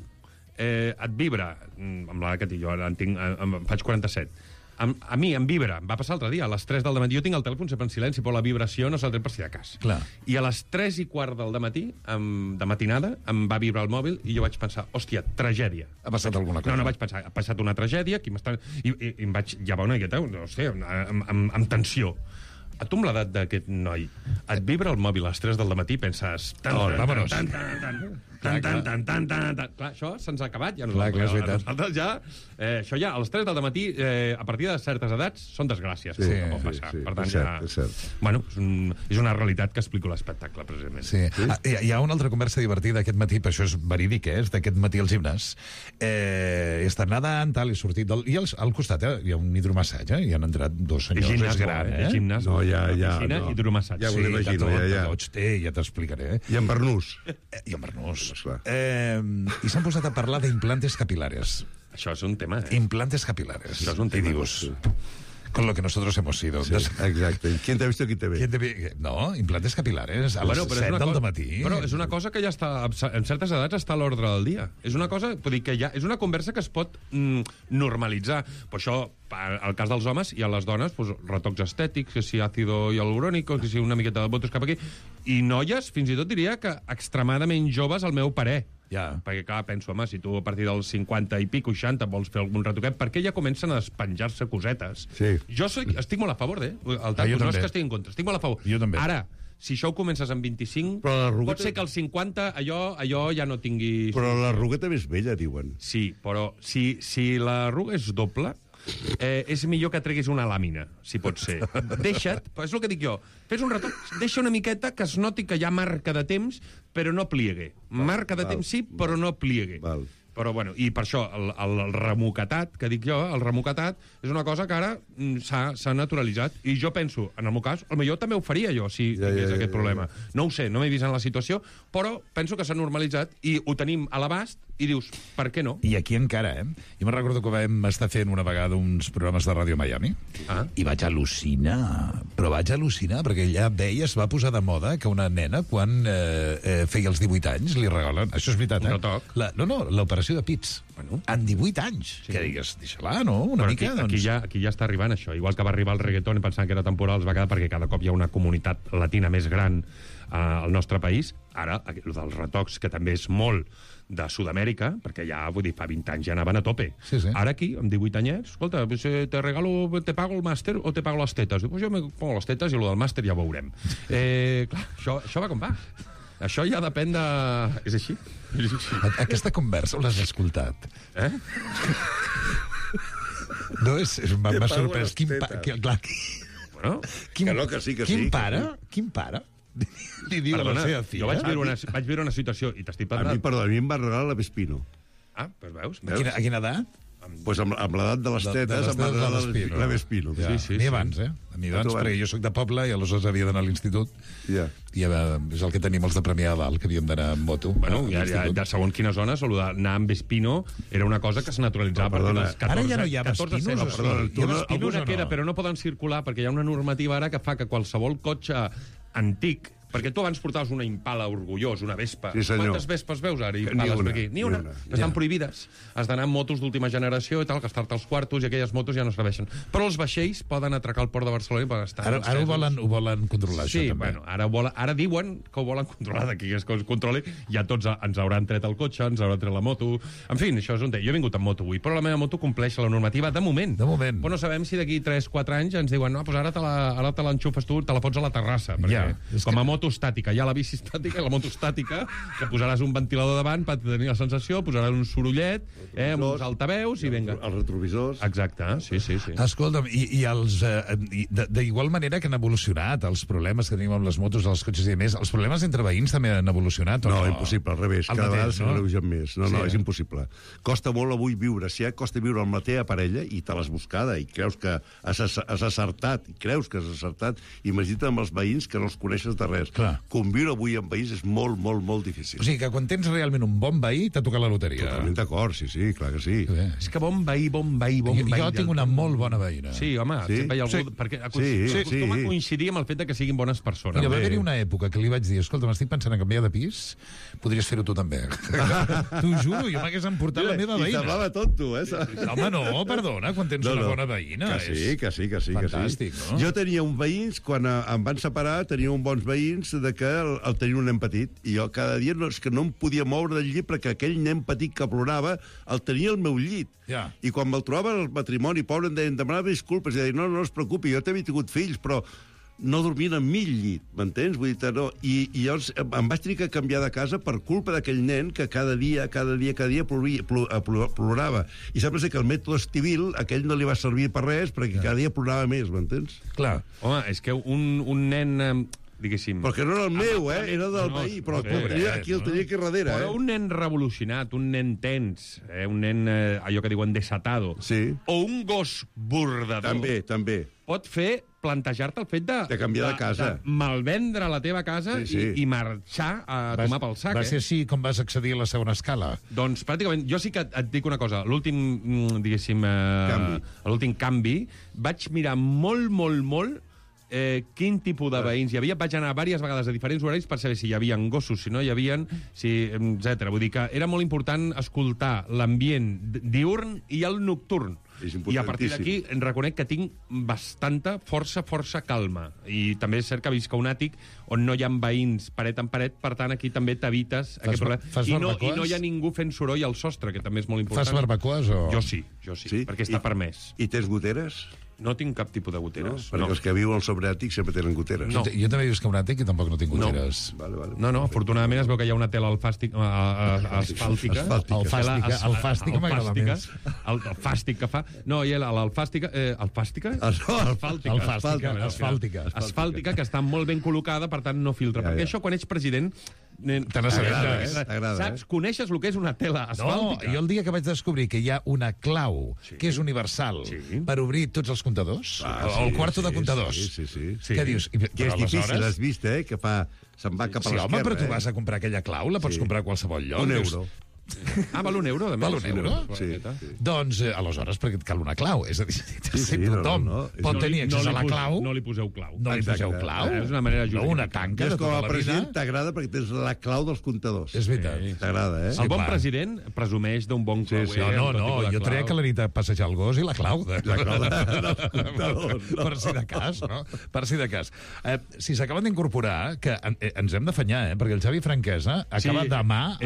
et vibra, amb l'edat que tinc, jo ara em faig 47, a mi em vibra, em va passar l'altre dia, a les 3 del matí, jo tinc el telèfon sempre en silenci, però la vibració no se'l tret per si de cas.
Clar.
I a les 3:15 del matí, de matinada, em va vibrar el mòbil i jo vaig pensar, hòstia, tragèdia.
Ha passat alguna cosa?
No vaig pensar, ha passat una tragèdia, i em vaig llevar una miqueta, no sé, amb tensió. A tu amb l'edat d'aquest noi, et vibra el mòbil a les 3 del matí i penses...
Vámonos.
Clar, això se'ns ha acabat. Ja nosaltres ja... Això ja, a les 3 del matí, a partir de certes edats, són desgràcies.
Sí,
no pot passar. Per tant,
és cert.
Bueno, és una realitat que explico l'espectacle, precisament.
Sí. Hi ha una altra conversa divertida aquest matí, però això és verídic, és d'aquest matí al gimnàs. He estat nedant, tal, he sortit... I al costat hi ha un hidromassatge, i han entrat 2 senyors. És gran,
eh? Gimnàs, piscina, hidromassatge.
Ja m'ho imagino,
ja t'explicaré.
I en Bernús.
I en Bernús. I s'han posat a parlar d'implantes capilares.
Això és un tema,
Implantes capilares.
Això és un tema.
I dius... con lo que nosotros hemos sido.
Sí, exacte. ¿Quién te ha visto aquí te ve?
No, implantes capilares a les 7 del matí.
Però és una cosa que ja està, en certes edats està a l'ordre del dia. És una cosa, vull dir que ja és una conversa que es pot normalitzar. Per això, al cas dels homes i a les dones, pues, retocs estètics, que si àcido hialurònico, que si una miqueta de botos cap aquí. I noies, fins i tot diria que extremadament joves, al meu parer.
Ja.
Perquè, clar, penso, home, si tu a partir dels 50 i pico, 60, vols fer algun retoquet, perquè ja comencen a despenjar-se cosetes.
Sí.
Jo estic molt a favor,
jo
no
també.
és que estigui en contra, estic molt a favor.
Jo també.
Ara, si això ho comences amb 25,
Però l'arruga
pot ser que als 50 allò ja no tingui...
Però l'arruga també és vella, diuen.
Sí, però si l'arruga és doble, és millor que treguis una làmina, si pot ser. Deixa't, és el que dic jo, fes un retoc, deixa una miqueta que es noti que hi ha marca de temps, però no pliegue. Marca de temps sí, però no pliegue.
Val.
Però, bueno, i per això, el remoquetat, que dic jo, el remoquetat, és una cosa que ara s'ha naturalitzat. I jo penso, en el meu cas, potser també ho faria jo, si tingués aquest problema. No ho sé, no m'he vist en la situació, però penso que s'ha normalitzat i ho tenim a l'abast i dius, per què no?
I aquí encara, Jo me'n recordo que vam estar fent una vegada uns programes de Ràdio Miami i vaig al·lucinar, però vaig al·lucinar perquè ja es va posar de moda que una nena, quan feia els 18 anys, li regalen... Això és veritat,
Un retoc.
L'operació de pits.
Bueno.
En 18 anys. Sí. Que digues, deixa-la, no? Una
Però
mica,
aquí ja està arribant això. Igual que va arribar el reggaeton i pensant que era temporal, es va quedar perquè cada cop hi ha una comunitat latina més gran al nostre país. Ara, el dels retocs, que també és molt de Sud-amèrica, perquè ja, vull dir, fa 20 anys ja anaven a tope.
Sí, sí.
Ara aquí, amb 18 anyets, escolta, pues, te pago el màster o te pago les tetes? Diu, pues jo me pongo les tetes i el del màster ja ho veurem. Clar, això va com va. Això ja depèn de... És així?
Aquesta conversa l'has escoltat? No, m'ha sorprès.
Bueno,
que sí.
Quin pare li diu a la seva filla?
Jo vaig viure una situació, i t'estic
A
parlant...
mi em va regalar la Vespino.
Ah, doncs veus?
A quina edat?
Pues amb l'edat de les tetes em va regalar la Vespino.
Ja.
Sí,
a mi abans, A mi abans, perquè jo sóc de poble i aleshores havia d'anar a l'institut.
Ja.
I és el que tenim els de Premià de Dalt, que havíem d'anar amb moto.
Bueno, ja segons quines zones, anar amb Vespino era una cosa que se naturalitzava.
Perdona,
ara ja no hi ha Vespinos.
Alguna queda, però no poden circular, perquè hi ha una normativa ara que fa que qualsevol cotxe antic, perquè tu abans portaves una Impala orgullós, una Vespa.
Sí, senyor.
Quantes Vespes veus ara? Impales per aquí? Ni una. Estan prohibides. Has d'anar amb motos d'última generació i tal, gastar-te els quartos, i aquelles motos ja no serveixen. Però els vaixells poden atracar al port de Barcelona i poden estar...
Ara ho volen controlar,
sí,
això, també.
Bueno, ara diuen que ho volen controlar, d'aquí que es controli, ja tots ens hauran tret el cotxe, ens hauran tret la moto... En fi, això és un tema. Jo he vingut amb moto avui, però la meva moto compleix la normativa de moment.
De moment.
Però no sabem si d'aquí 3-4 anys ens diuen no, doncs ara te l'enxufes tu, te la pots a la terrassa, perquè com a moto estàtica, hi ha la bici estàtica i la moto estàtica, que posaràs un ventilador davant per tenir la sensació, posaràs un sorollet, amb uns altaveus i vinga.
Els retrovisors.
Exacte, sí.
Escolta'm, i d'igual manera que han evolucionat els problemes que tenim amb les motos, els cotxes i més, els problemes entre veïns també han evolucionat?
No, impossible, al revés. Cada vegada s'agreugen més. No, és impossible. Costa molt avui viure. Si ja costa viure amb la teva parella i te l'has buscada i creus que has acertat, imagina't amb els veïns que no els coneixes de res.
Clar.
Conviure avui amb veïns és molt, molt, molt difícil.
O sigui que quan tens realment un bon veí t'ha tocat la loteria.
Totalment d'acord, sí, clar que sí.
És que bon veí.
Jo tinc una molt bona veïna.
Sí, home, sempre hi ha algú... Perquè acostuma a coincidir amb el fet que siguin bones persones.
Mira, va haver-hi una època que li vaig dir, escolta, m'estic pensant en canviar de pis, podries fer-ho tu també. T'ho juro, jo m'hagués emportat la meva veïna.
I semblava tonto,
Home, no, perdona, quan tens una bona veïna.
Que sí.
Fantàstic, no?
Jo tenia un veïns, quan em van separar, tenia uns bons veïns de que el tenia un nen petit, i jo cada dia no em podia moure del llit perquè aquell nen petit que plorava el tenia al meu llit.
Ja.
I quan me'l trobava al matrimoni, pobre, em deien, demanava disculpes, i deien, no es preocupi, jo també he tingut fills, però no dormien en mi al llit, m'entens? Vull dir, no. I llavors em vaig tenir que canviar de casa per culpa d'aquell nen que cada dia plorava. I sembla ser que el mètode Estivil, aquell no li va servir per res, perquè cada dia plorava més, m'entens?
Clar.
Home, és que un nen diguéssim...
Perquè no era el meu, era del veí, però aquí el tenia aquí darrere.
Però un nen revolucionat, un nen tens, un nen, allò que diuen desatado, o un gos bordador...
També.
Pot fer plantejar-te el fet
de canviar de casa.
De malvendre la teva casa i marxar a tomar pel sac.
Va ser així com vas accedir a la segona escala?
Doncs pràcticament, jo sí que et dic una cosa. L'últim, diguéssim... L'últim canvi, vaig mirar molt quin tipus de veïns hi havia. Vaig anar diverses vegades a diferents horaris per saber si hi havia gossos, si no hi havia, etc. Vull dir que era molt important escoltar l'ambient diürn i el nocturn. I a partir d'aquí reconec que tinc força calma. I també és cert que visc a un àtic on no hi ha veïns paret en paret, per tant aquí també t'evites aquest problema. I no hi ha ningú fent soroll al sostre, que també és molt important.
Fas barbacoes o...?
Jo sí, perquè està permès.
I tens goteres?
No tinc cap tipus de goteres.
Perquè els que viuen sobre àtic sempre tenen goteres.
Jo també visc a un àtic i tampoc no tinc goteres.
No, afortunadament es veu que hi ha una tela asfàltica.
El fàstic m'agrada més.
El fàstic que fa... No, i l'alfàstica... Alfàstica? Asfàltica, que està molt ben col·locada, per tant no filtra. Perquè això, quan ets president...
Te n'assabentes.
Saps? Coneixes el que és una tela asfàltica?
No, jo el dia que vaig descobrir que hi ha una clau que és universal per obrir tots els comptadors, el quarto de comptadors. Què dius?
Que és difícil, has vist, que se'n va cap a l'esquerra.
Sí, home, però tu vas a comprar aquella clau, la pots comprar a qualsevol lloc.
€1.
Val €1, de més.
Val €1?
Sí.
Doncs, aleshores, perquè et cal una clau. És a dir, tothom pot tenir accés a la clau.
No li poseu clau.
No li poseu clau.
És una manera jurídica.
No, una tanca de tota la vida.
Com a president t'agrada perquè tens la clau dels comptadors.
És veritat.
T'agrada,
El bon president presumeix d'un bon clauer.
No, jo treia que la nit a passejar el gos i la clau dels comptadors. Per si de cas, no? Per si de cas. Si s'acaben d'incorporar, que ens hem d'afanyar, perquè el Xavi Franquesa acaba demà...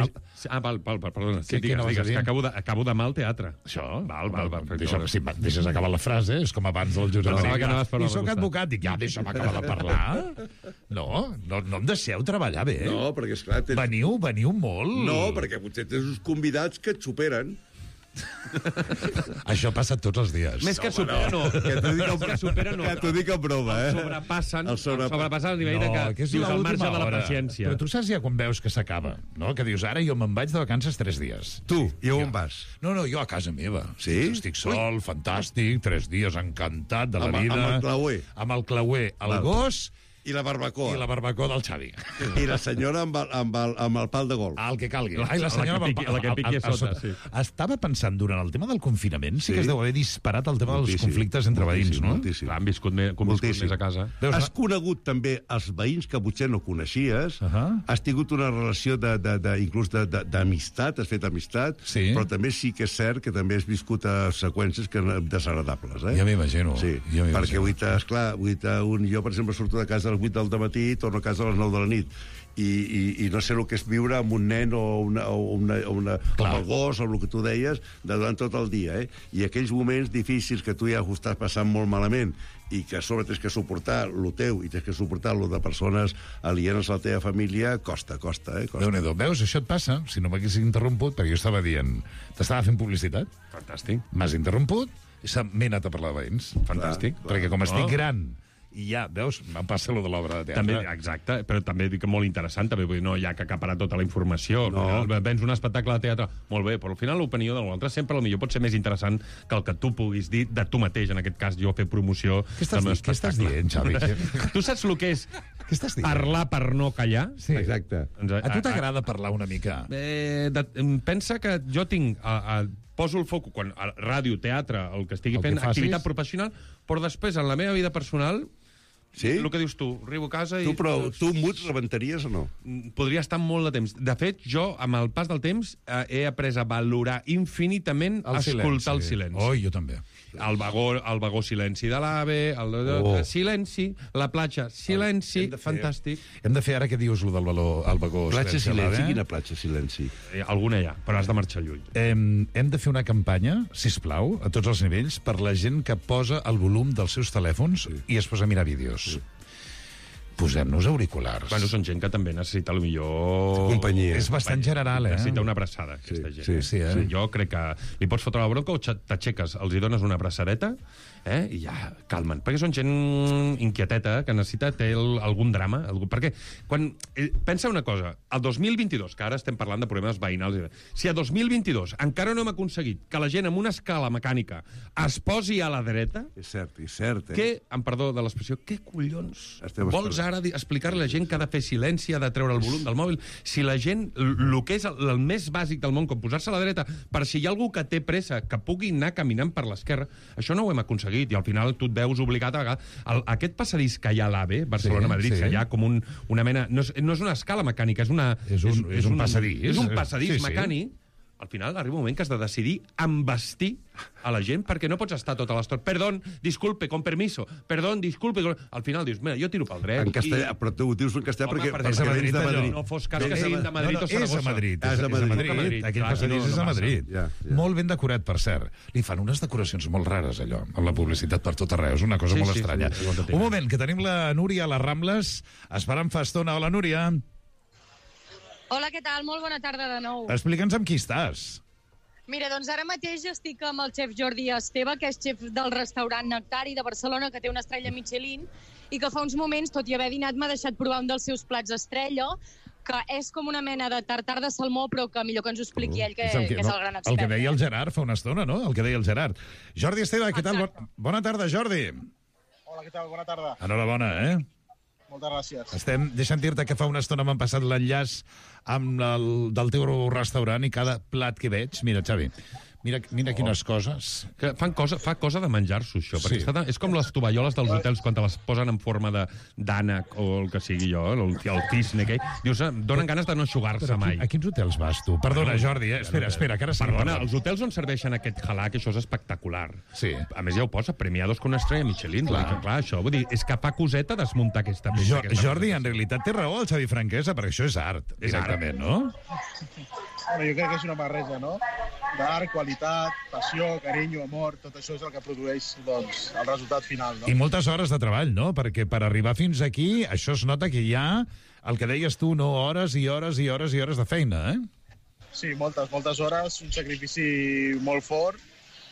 Perdona, digues, que acabo demà al teatre.
Això?
Val.
Si deixes acabar la frase, és com abans del Josep Maria. I soc advocat, dic, deixa'm acabar de parlar. No em deixeu treballar bé.
No, perquè, esclar...
Veniu molt.
No, perquè potser tens uns convidats que et superen.
Això passa tots els dies.
Més que supera, no. Que
t'ho dic en broma,
El sobrepassen a nivell de que dius el marge de la paciència.
Però tu saps ja quan veus que s'acaba, no? Que dius, ara jo me'n vaig de vacances 3 dies.
Tu? I on vas?
No, jo a casa meva.
Sí?
Estic sol, fantàstic, 3 dies encantat de la vida.
Amb el clauer?
Amb el clauer, el gos...
I la barbacoa.
I la barbacoa del Xavi.
I la senyora amb el pal de golf.
El que calgui. Ai, la senyora
la que piqui a sota, sí.
Estava pensant, durant el tema del confinament, sí que es deu haver disparat el tema dels conflictes entre veïns, no?
Han viscut més a casa.
Has conegut també els veïns que potser no coneixies, has tingut una relació inclús d'amistat, has fet amistat, però també sí que és cert que també has viscut seqüències desagradables.
Ja m'imagino.
Sí, perquè esclar, jo, per exemple, surto de casa a les 8 del matí i torno a casa a les 9 de la nit. I no sé el que és viure amb un nen o amb el gos, o el que tu deies, durant tot el dia. I aquells moments difícils que tu ja ho estàs passant molt malament i que a sobre tens que suportar lo teu i tens que suportar lo de persones alienes a la teva família, costa.
Déu-n'hi-do. Veus, això et passa, si no m'haguessis interromput, perquè jo estava dient, t'estava fent publicitat.
Fantàstic.
M'has interromput i m'he anat a parlar de veïns.
Fantàstic.
Perquè com estic gran... I ja, veus, em passa allò de l'obra de teatre.
També, exacte, però també dic que molt interessant, també, vull dir, no hi ha que acaparar tota la informació. Vens un espectacle de teatre, molt bé, però al final l'opinió de l'altre sempre potser pot ser més interessant que el que tu puguis dir de tu mateix, en aquest cas jo fer promoció del meu espectacle.
Què estàs dient, Xavi?
Tu saps el que és parlar per no callar?
Sí.
Exacte.
A tu t'agrada parlar una mica?
Pensa que jo tinc... poso el foc quan a ràdio, teatre, el que estigui fent, activitat professional, però després, en la meva vida personal, el que dius tu, arribo a casa i...
Tu muts rebentaries o no?
Podria estar molt de temps. De fet, jo, amb el pas del temps, he après a valorar infinitament escoltar el silenci.
Oh, jo també.
El vagó silenci de l'AVE, silenci, la platja, silenci, fantàstic.
Hem de fer ara que dius, el del vagó
platja silenci, quina platja silenci?
Alguna hi ha, però has de marxar lluny.
Hem de fer una campanya, sisplau, a tots els nivells, per la gent que posa el volum dels seus telèfons i es posa a mirar vídeos. posem-nos auriculars.
Bueno, són gent que també necessita, millor...
Companyia.
És bastant general,
Necessita una abraçada, aquesta gent.
Sí,
Sí, jo crec que li pots fotre la bronca o t'aixeques, els hi dones una abraçadeta i ja calmen. Perquè són gent inquieteta que necessita algun drama. Perquè pensa una cosa, el 2022, que ara estem parlant de problemes veïnals, si a 2022 encara no hem aconseguit que la gent amb una escala mecànica es posi a la dreta...
És cert,
amb perdó de l'expressió, què collons
Estem
vols ara explicar-li a la gent que ha de fer silenci, ha de treure el volum del mòbil? Si la gent, el que és el més bàsic del món, com posar-se a la dreta, per si hi ha algú que té pressa, que pugui anar caminant per l'esquerra, això no ho hem aconseguit, i al final tu et veus obligat a aquest passadís que hi ha a l'AVE, Barcelona-Madrid, que hi ha com una mena... No és una escala mecànica, és un passadís. És un passadís mecànic. Al final arriba un moment que has de decidir embestir a la gent perquè no pots estar tota l'estona. Perdón, disculpe, con permiso. Perdón, disculpe. Al final dius, mira, jo tiro pel dret.
En castellà, però tu ho dius en castellà perquè
és a Madrid,
de Madrid.
No fos cas que siguin de Madrid o Saragossa.
És a Madrid.
És a Madrid.
Aquell passadís és a Madrid. Molt ben decorat, per cert. Li fan unes decoracions molt rares, allò, amb la publicitat per tot arreu. És una cosa molt estranya. Un moment, que tenim la Núria a les Rambles, esperant fa estona. Hola, Núria.
Hola, què tal? Molt bona tarda de nou.
Explica'ns amb qui estàs.
Mira, doncs ara mateix estic amb el xef Jordi Esteve, que és xef del restaurant Nectari de Barcelona, que té una estrella Michelin, i que fa uns moments, tot i haver dinat, m'ha deixat provar un dels seus plats estrella, que és com una mena de tartar de salmó, però que millor que ens ho expliqui ell, que és el gran expert.
El que deia el Gerard fa una estona, no? El que deia el Gerard. Jordi Esteve, què tal? Bona tarda, Jordi.
Hola, què tal? Bona tarda.
Enhorabona,
Moltes gràcies.
Deixa'm dir-te que fa una estona m'han passat l'enllaç del teu restaurant i cada plat que veig... Mira, Xavi, mira quines coses.
Que fa cosa de menjar-s'ho, això. Perquè és com les tovalloles dels hotels, quan te les posen en forma d'ànec o el que sigui jo, el cisne aquell. Dius, donen ganes de no eixugar-se mai.
A quins hotels vas, tu? Perdona, Jordi, espera, que ara sí.
Perdona, els hotels on serveixen aquest halà, que això és espectacular.
Sí.
A més, ja ho posa, premiados con una estrella Michelin. Clar, això, vull dir, és que fa coseta desmuntar aquesta peça.
Jordi, en realitat té raó el Xavi Franquesa, perquè això és art, directament, no?
Bueno, jo crec que és una barreja, no? D'art, qualitat, passió, carinyo, amor, tot això és el que produeix, doncs, el resultat final, no?
I moltes hores de treball, no? Perquè per arribar fins aquí, això es nota que hi ha, el que deies tu, no? Hores i hores i hores i hores de feina,
Sí, moltes hores, un sacrifici molt fort,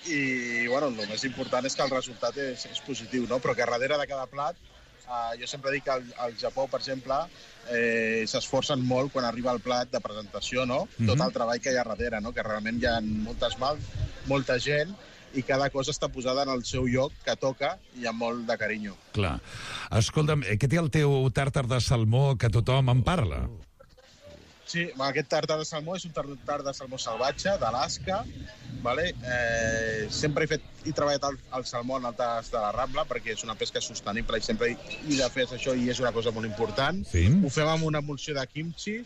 i, bueno, el més important és que el resultat és positiu, no? Però que darrere de cada plat, jo sempre dic que al Japó, per exemple, s'esforcen molt quan arriba el plat de presentació, no? Tot el treball que hi ha darrere, no? Que realment hi ha moltes mans, molta gent, i cada cosa està posada en el seu lloc que toca i amb molt de carinyo.
Clar. Escolta'm, què té el teu tàrtar de salmó que tothom en parla?
Sí, aquest tàrtar de salmó és un tàrtar de salmó salvatge, d'Alaska, vale? Sempre he treballat el salmó en el tas de la Rambla perquè és una pesca sostenible i sempre he de fer això i és una cosa molt important.
Sí.
Ho fem amb una emulsió de kimchi,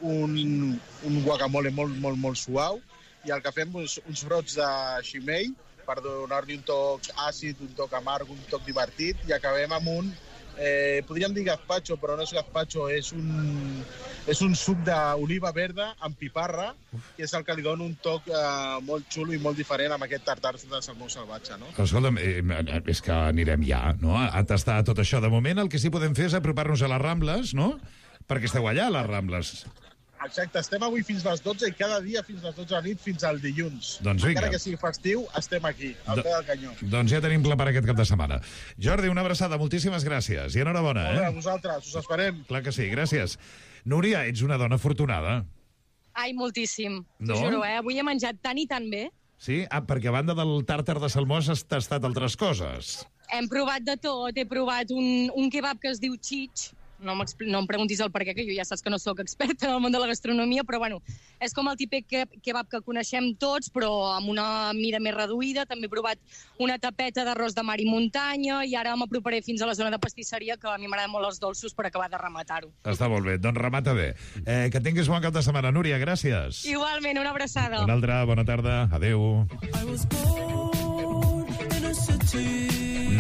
un guacamole molt suau i el que fem és uns brots de shimei per donar-li un toc àcid, un toc amarg, un toc divertit i acabem amb un podríem dir gazpacho, però no és gazpacho, és un suc d'oliva verda amb piparra, que és el que li dona un toc molt xulo i molt diferent amb aquest tartar de salmó salvatge, no?
Escolta'm, és que anirem ja, no?, a tastar tot això. De moment el que sí podem fer és apropar-nos a les Rambles, no?, perquè esteu allà, a les Rambles.
Exacte, estem avui fins les 12 i cada dia fins les 12 de la nit fins al dilluns.
Doncs vinga.
Encara que sigui festiu, estem aquí, al peu del canyó.
Doncs ja tenim pla per aquest cap de setmana. Jordi, una abraçada, moltíssimes gràcies i enhorabona.
Molt bé, a vosaltres, us esperem.
Clar que sí, gràcies. Núria, ets una dona afortunada.
Ai, moltíssim.
No?
T'ho juro, avui he menjat tan i tan bé.
Sí? Perquè a banda del tàrtar de salmó has tastat altres coses.
Hem provat de tot. He provat un kebab que es diu chich. No em preguntis el per què, que jo ja saps que no sóc experta en el món de la gastronomia, però bueno, és com el típic kebab que coneixem tots, però amb una mida més reduïda. També he provat una tapeta d'arròs de mar i muntanya i ara m'aproparé fins a la zona de pastisseria, que a mi m'agraden molt els dolços, per acabar de rematar-ho.
Està molt bé, doncs remata bé. Que tinguis bon cap de setmana, Núria, gràcies.
Igualment, una abraçada.
Una altra, bona tarda, adeu.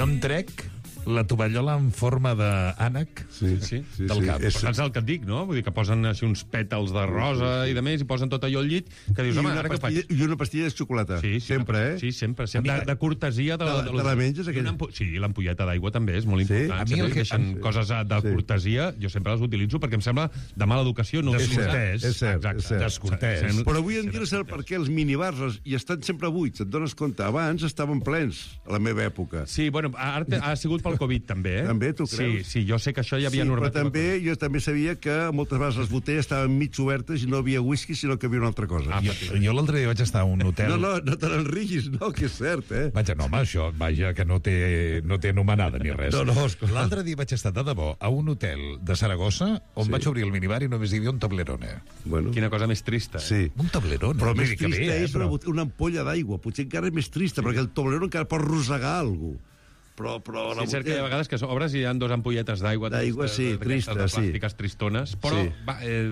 No em trec la tovallola en forma d'ànec del cap.
Saps el que et dic, no? Vull dir que posen així uns pètals de rosa i de més, i posen tot allò al llit, que dius, home, ara què faig?
I una pastilla de xocolata.
Sí,
sempre, eh?
Sí, sempre. De cortesia.
Te la menges, aquella?
Sí, l'ampolleta d'aigua també és molt important.
A mi el que
deixen coses de cortesia, jo sempre les utilitzo perquè em sembla de mala educació.
Descortès.
És cert.
Descortès.
Però avui en dia no sé per què els minibars i estan sempre buits, et dones compte. Abans estaven plens, a la meva època.
Sí, bueno, ara ha sigut pel Covid, també, eh?
També, tu creus?
Sí, jo sé que això hi havia normativa.
Però jo també sabia que moltes vegades les botelles estaven mig obertes i no havia whisky, sinó que havia una altra cosa.
Jo l'altre dia vaig estar a un hotel...
No te n'enriguis, no, que és cert, eh?
Vaja, no, home, això, vaja, que no té anomenada ni res.
esclar.
L'altre dia vaig estar de debò a un hotel de Saragossa on vaig obrir el minibar i només hi havia un tablerone.
Bueno.
Quina cosa més trista.
Sí.
Un tablerone.
Però més trista és una ampolla d'aigua. Potser encara és més trista, perquè el tablerone encara pot rosegar alguna cosa. Però
sí, és cert que hi ha vegades que obres i hi ha dos ampolletes d'aigua.
D'aigua, sí, trista, sí.
Plàstiques tristones. Però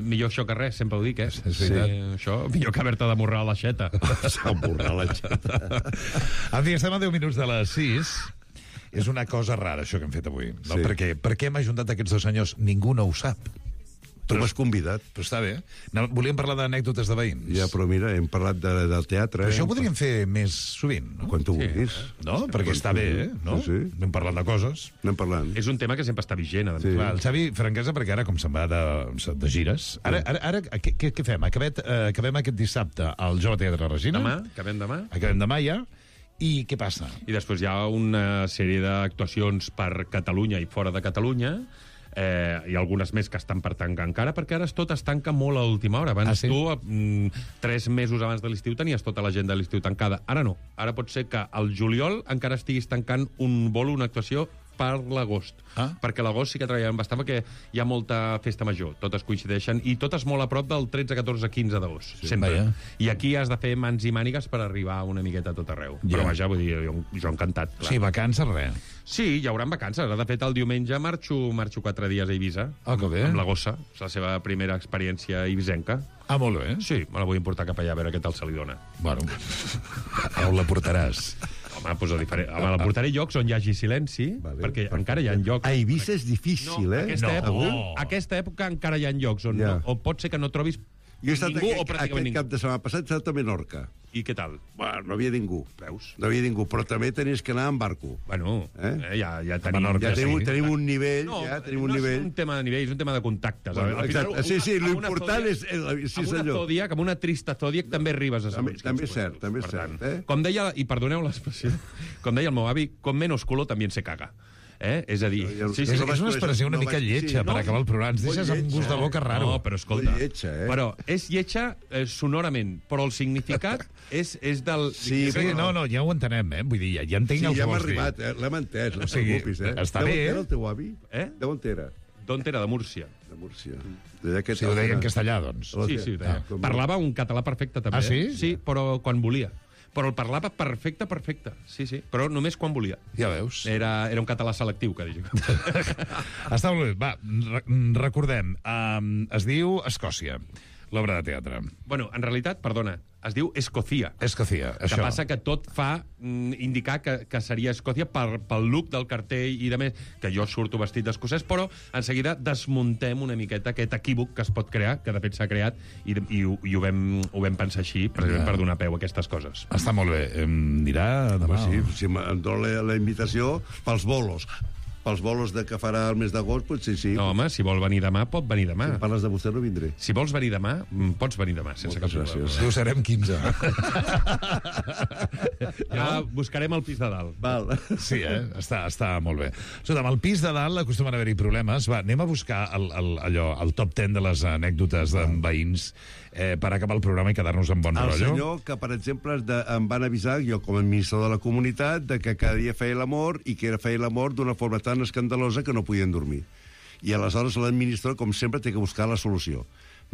millor això que res, sempre ho dic, eh?
Sí.
Això, millor que haver-te d'amorrar l'aixeta.
Amorrar l'aixeta.
En fi, estem a 10 minuts de les 6. És una cosa rara, això que hem fet avui. No?
Sí.
Per què hem ajuntat aquests dos senyors? Ningú no ho sap.
Tu m'has convidat.
Però està bé. Volíem parlar d'anècdotes de veïns.
Ja, però mira, hem parlat del teatre.
Però això ho podríem fer més sovint, no?
Quan tu vulguis.
No? Perquè està bé, no?
Sí.
Anem parlant de coses.
Anem parlant.
És un tema que sempre està vigent.
Sí.
Clar, el Xavi, franquesa, perquè ara, com se'n va de gires... Ara què fem? Acabem aquest dissabte al Jove Teatre Regina.
Acabem demà.
Acabem demà, ja. I què passa?
I després hi ha una sèrie d'actuacions per Catalunya i fora de Catalunya, i algunes més que estan per tancar encara, perquè ara tot es tanca molt a l'última hora. Abans tu, 3 mesos abans de l'estiu, tenies tota l'agenda de l'estiu tancada. Ara no. Ara pot ser que al juliol encara estiguis tancant un bolo, una actuació per l'agost. Perquè l'agost sí que treballem bastant, perquè hi ha molta festa major. Totes coincideixen, i totes molt a prop del 13, 14, 15 d'agost. Sempre. I aquí has de fer mans i mànigues per arribar una miqueta a tot arreu. Però vaja, vull dir, jo encantat. Clar.
Sí, vacances, res.
Sí, hi haurà vacances. De fet, el diumenge marxo 4 dies a Eivissa.
Que bé.
Amb la gossa. És la seva primera experiència eivissenca.
Molt bé.
Sí, me la vull portar cap allà a veure què tal se li dona.
Bueno, on la portaràs?
Home, doncs la portaré a llocs on hi hagi silenci, perquè encara hi ha llocs...
A Eivissa és difícil,
Aquesta època encara hi ha llocs on pot ser que no trobis
jo he estat
ningú o pràcticament ningú.
Cap de setmana passat he estat a Menorca.
I què tal?
Bueno, no havia ningú.
Veus?
No havia ningú, però també tenies que anar en barco.
Bueno, ja tenim...
Tenim un nivell, tenim un nivell.
No és un tema de nivell, és un tema de contactes.
Bueno, sí, l'important és...
Amb una trista Zodiac també arribes a saber.
També és cert, també és cert.
Com deia, i perdoneu l'expressió, com deia el meu avi, con menos culo también se caga. És a dir...
És una expressió una mica lletja per acabar el programa. Ens deixes amb gust de boca raro.
No, però escolta... Però és lletja sonorament, però el significat és del...
Sí, no, ja ho entenem, Vull dir, ja entenc el que vols dir.
Sí, ja hem arribat, l'hem entès, no preocupis,
Està bé,
De on era el teu avi? De on era?
D'on era? De Múrcia.
De Múrcia.
Si ho deia en castellà, doncs.
Sí, ho deia. Parlava un català perfecte, també.
Ah, sí?
Sí, però quan volia. Però el parlava perfecte. Sí, però només quan volia.
Ja veus.
Era un català selectiu, que dic.
Està molt bé. Va, recordem. Es diu Escòcia, l'obra de teatre.
Bueno, en realitat, perdona, es diu Escòcia.
Escòcia, això.
Que passa que tot fa indicar que seria Escòcia pel look del cartell i de més, que jo surto vestit d'escocès, però en seguida desmuntem una miqueta aquest equívoc que es pot crear, que de fet s'ha creat, i ho vam pensar així, precisament per donar peu a aquestes coses.
Està molt bé. Em dirà demà.
Sí, em dona la invitació pels bolos. Pels bolos que farà el mes d'agost, potser sí.
No, home, si vol venir demà, pot venir demà.
Si parles de vostè, no vindré.
Si vols venir demà, pots venir demà, sense cap problema.
Ho serem 15.
Ja buscarem el pis de dalt.
Val.
Sí, està molt bé. Escolta, amb el pis de dalt acostumen a haver-hi problemes. Va, anem a buscar el top 10 de les anècdotes de veïns per acabar el programa i quedar-nos en bon rotllo.
El senyor que, per exemple, em van avisar, jo com a administrador de la comunitat, de que cada dia feia l'amor i que feia l'amor d'una forma tan escandalosa que no podien dormir. I aleshores l'administrador, com sempre, té que buscar la solució.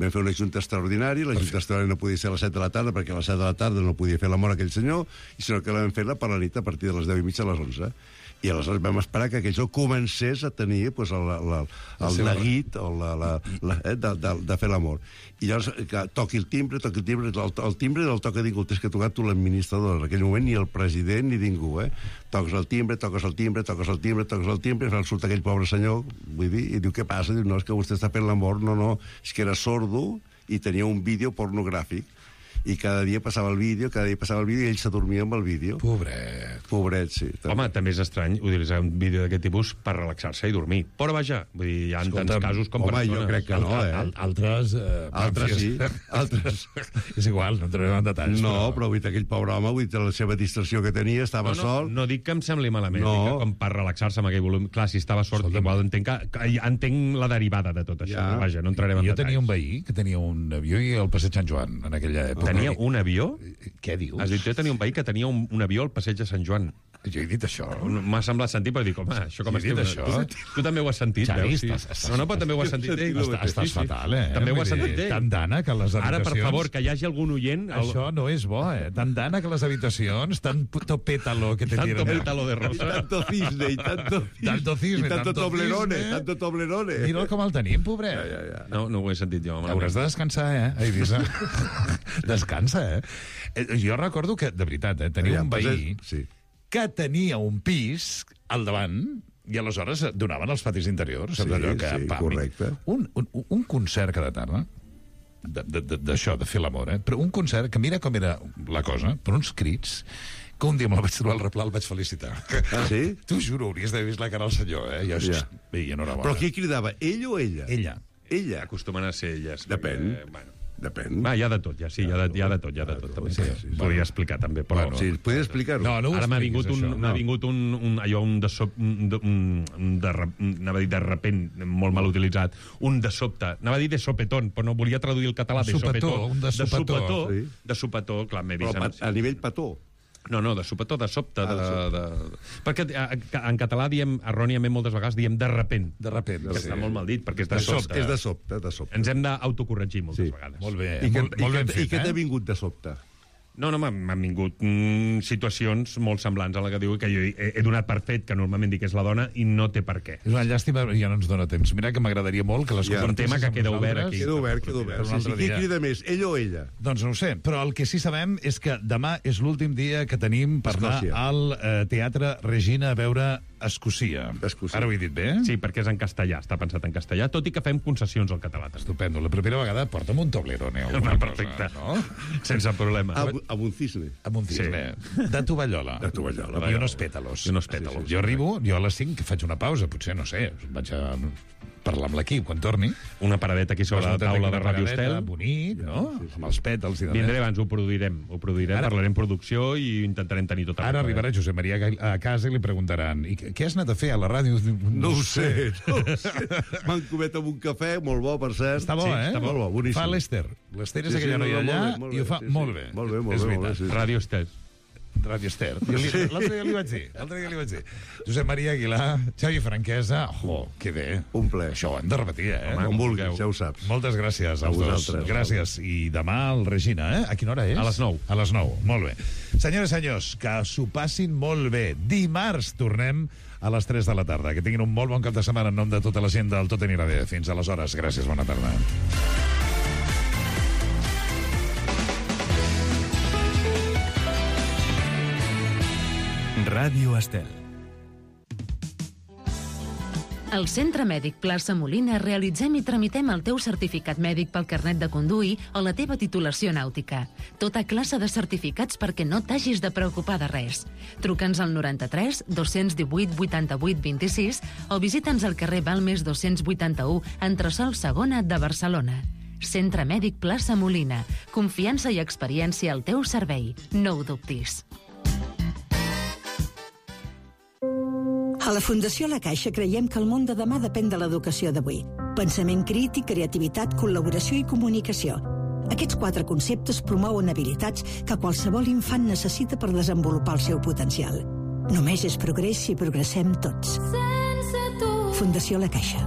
Vam fer una junta extraordinària, la junta extraordinària no podia ser a les 7 de la tarda, perquè a les 7 de la tarda no podia fer l'amor aquell senyor, i sinó que la vam fer-la per la nit a partir de les 10:30 a les 11. I aleshores vam esperar que aquell comencés a tenir pues, el neguit de fer l'amor. I llavors que toqui el timbre, el timbre del toca ningú, tens que tocar tu l'administrador. En aquell moment ni el president ni ningú, Toques el timbre, surt aquell pobre senyor, vull dir, i diu, què passa? Diu, no, és que vostè està fent l'amor. No, és que era sordo i tenia un vídeo pornogràfic. I cada dia passava el vídeo i ell s'adormia amb el vídeo. Pobret, sí. També.
Home, també és estrany utilitzar un vídeo d'aquest tipus per relaxar-se i dormir. Però vaja, vull dir, hi ha tants casos com persones.
Home, jo crec que no,
Altres
sí. Altres.
És igual, no entrarem en detalls.
No, però vull dir, aquell pobre home, vull dir, la seva distracció que tenia, estava sol.
No dic que em sembli malament, dic que com per relaxar-se amb aquell volum. Clar, si estava sort, igual entenc la derivada de tot això. Vaja, no entrarem en detalls.
Jo tenia un veí que tenia un avió i el passeig Sant Joan en aquella època.
Tenia un avió?
Què dius?
Has dit, jo tenia un veí que tenia un avió al passeig de Sant Joan.
Jo he dit això.
M'ha semblat sentir, però dic, home, això com es diu? Tu també ho has sentit, veus? No, però també ho has sentit.
Estàs fatal,
També ho has sentit.
Tan d'ana que les habitacions...
Ara, per favor, que hi hagi algun oient...
Això no és bo, Tan d'ana que les habitacions, tanto pétalo que te tienen...
Tanto pétalo de rosa.
Tanto cisne, i tanto toblerone.
Mira'l com el tenim, pobret.
No ho he sentit jo.
Hauràs de descansar, a Eivissa. Descansa, Jo recordo que, de veritat, tenia un veí que tenia un pis al davant i aleshores donaven els patis interiors.
Sí, correcte.
Un concert cada tarda, d'això, de fer l'amor, però un concert que mira com era la cosa, per uns crits, que un dia me'l vaig trobar al replà, el vaig felicitar.
Ah, sí?
T'ho juro, hauries d'haver vist la cara al senyor, enhorabona.
Però qui cridava, ell o ella?
Ella.
Acostumen a ser elles.
Depèn. Depèn.
Va, hi ha de tot, ja, sí, hi ha de tot. També. Sí. Podria explicar, també, però...
Sí, podria explicar-ho.
No
ara m'ha vingut anava a dir de repent, molt mal utilitzat, un de sobte, anava a dir de sopetón, però no volia traduir el català de sopetón. De sopetó, clar, m'he vist...
Però a nivell petó.
No, de sopetó, de sobte. Perquè en català diem, erròniament moltes vegades, diem de repent.
De repent.
Que està molt mal dit, perquè és de sobte.
És de sobte.
Ens hem d'autocorregir moltes vegades.
Molt bé.
I què t'ha vingut de sobte?
No, m'han vingut situacions molt semblants a la que diu que jo he donat per fet, que normalment dic que és la dona, i no té per què.
És una llàstima, ja no ens dona temps. Mira que m'agradaria molt que les
un tema que queda obert aquí.
Queda obert. Qui crida més, ell o ella?
Doncs no ho sé, però el que sí sabem és que demà és l'últim dia que tenim per anar al Teatre Regina a veure Escòcia. Ara ho he dit bé?
Sí, perquè és en castellà, està pensat en castellà, tot i que fem concessions al català.
Estupendo. La primera vegada porta'm un toblerone o alguna cosa.
Perfecte. Sense problema.
Amb un cisne.
Amb un cisne. De tovallola. I unos pétalos. Jo arribo, a les 5 faig una pausa, potser, no sé, vaig a parlar amb l'equip quan torni.
Una paradeta aquí sobre la taula de Radio Estel.
Bonic, no? Amb els pètals.
Vindré abans, ho produirem, parlarem producció i intentarem tenir tot.
Ara arribarà Josep Maria a casa i li preguntaran què has anat a fer a la ràdio?
No ho sé. M'han comet amb un cafè, molt bo, per cert.
Està bo,
Està molt bo, boníssim.
Fa l'Ester. L'Ester és aquella noia allà i ho fa molt bé.
Molt bé.
Radio Estel.
Radio Ester. L'altre dia li vaig dir. Josep Maria Aguilar, Xavi Franquesa, que bé.
Un ple.
Això ho hem de repetir,
Com vulgueu. Ja ho saps.
Moltes gràcies als dos. Gràcies. I demà al Regina, A quina hora és?
A les 9.
A les 9, molt bé. Senyores i senyors, que s'ho passin molt bé. Dimarts tornem a les 3 de la tarda. Que tinguin un molt bon cap de setmana en nom de tota la gent del Tot anirà bé. Fins aleshores. Gràcies, bona tarda.
Ràdio Estel.
Al Centre Mèdic Plaça Molina realitzem i tramitem el teu certificat mèdic pel carnet de conduir o la teva titulació nàutica. Tota classe de certificats perquè no t'hagis de preocupar de res. Truca'ns al 93 218 88 26 o visita'ns al carrer Balmes 281, entresòl Segona de Barcelona. Centre Mèdic Plaça Molina. Confiança i experiència al teu servei. No ho dubtis.
A la Fundació La Caixa creiem que el món de demà depèn de l'educació d'avui. Pensament crític, creativitat, col·laboració i comunicació. Aquests 4 conceptes promouen habilitats que qualsevol infant necessita per desenvolupar el seu potencial. Només és progrés si progressem tots. Fundació La Caixa.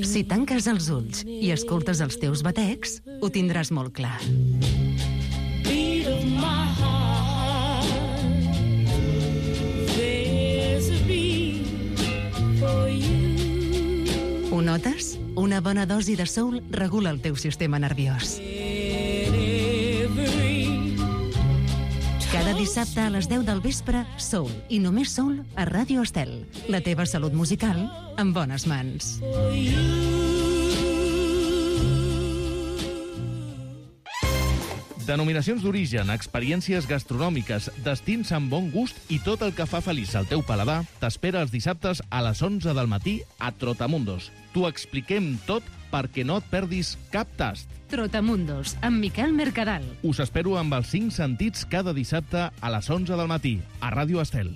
Si tanques els ulls i escoltes els teus batecs, ho tindràs molt clar. Ho notes? Una bona dosi de soul regula el teu sistema nerviós. Cada dissabte a les 10 del vespre, Soul, i només Soul, a Ràdio Estel. La teva salut musical en bones mans.
Denominacions d'origen, experiències gastronòmiques, destins amb bon gust i tot el que fa feliç al teu paladar t'espera els dissabtes a les 11 del matí a Trotamundos. T'ho expliquem tot perquè no et perdis cap tast.
Trotamundos, amb Miquel Mercadal.
Us espero amb els 5 sentits cada dissabte a les 11 del matí a Ràdio Estel.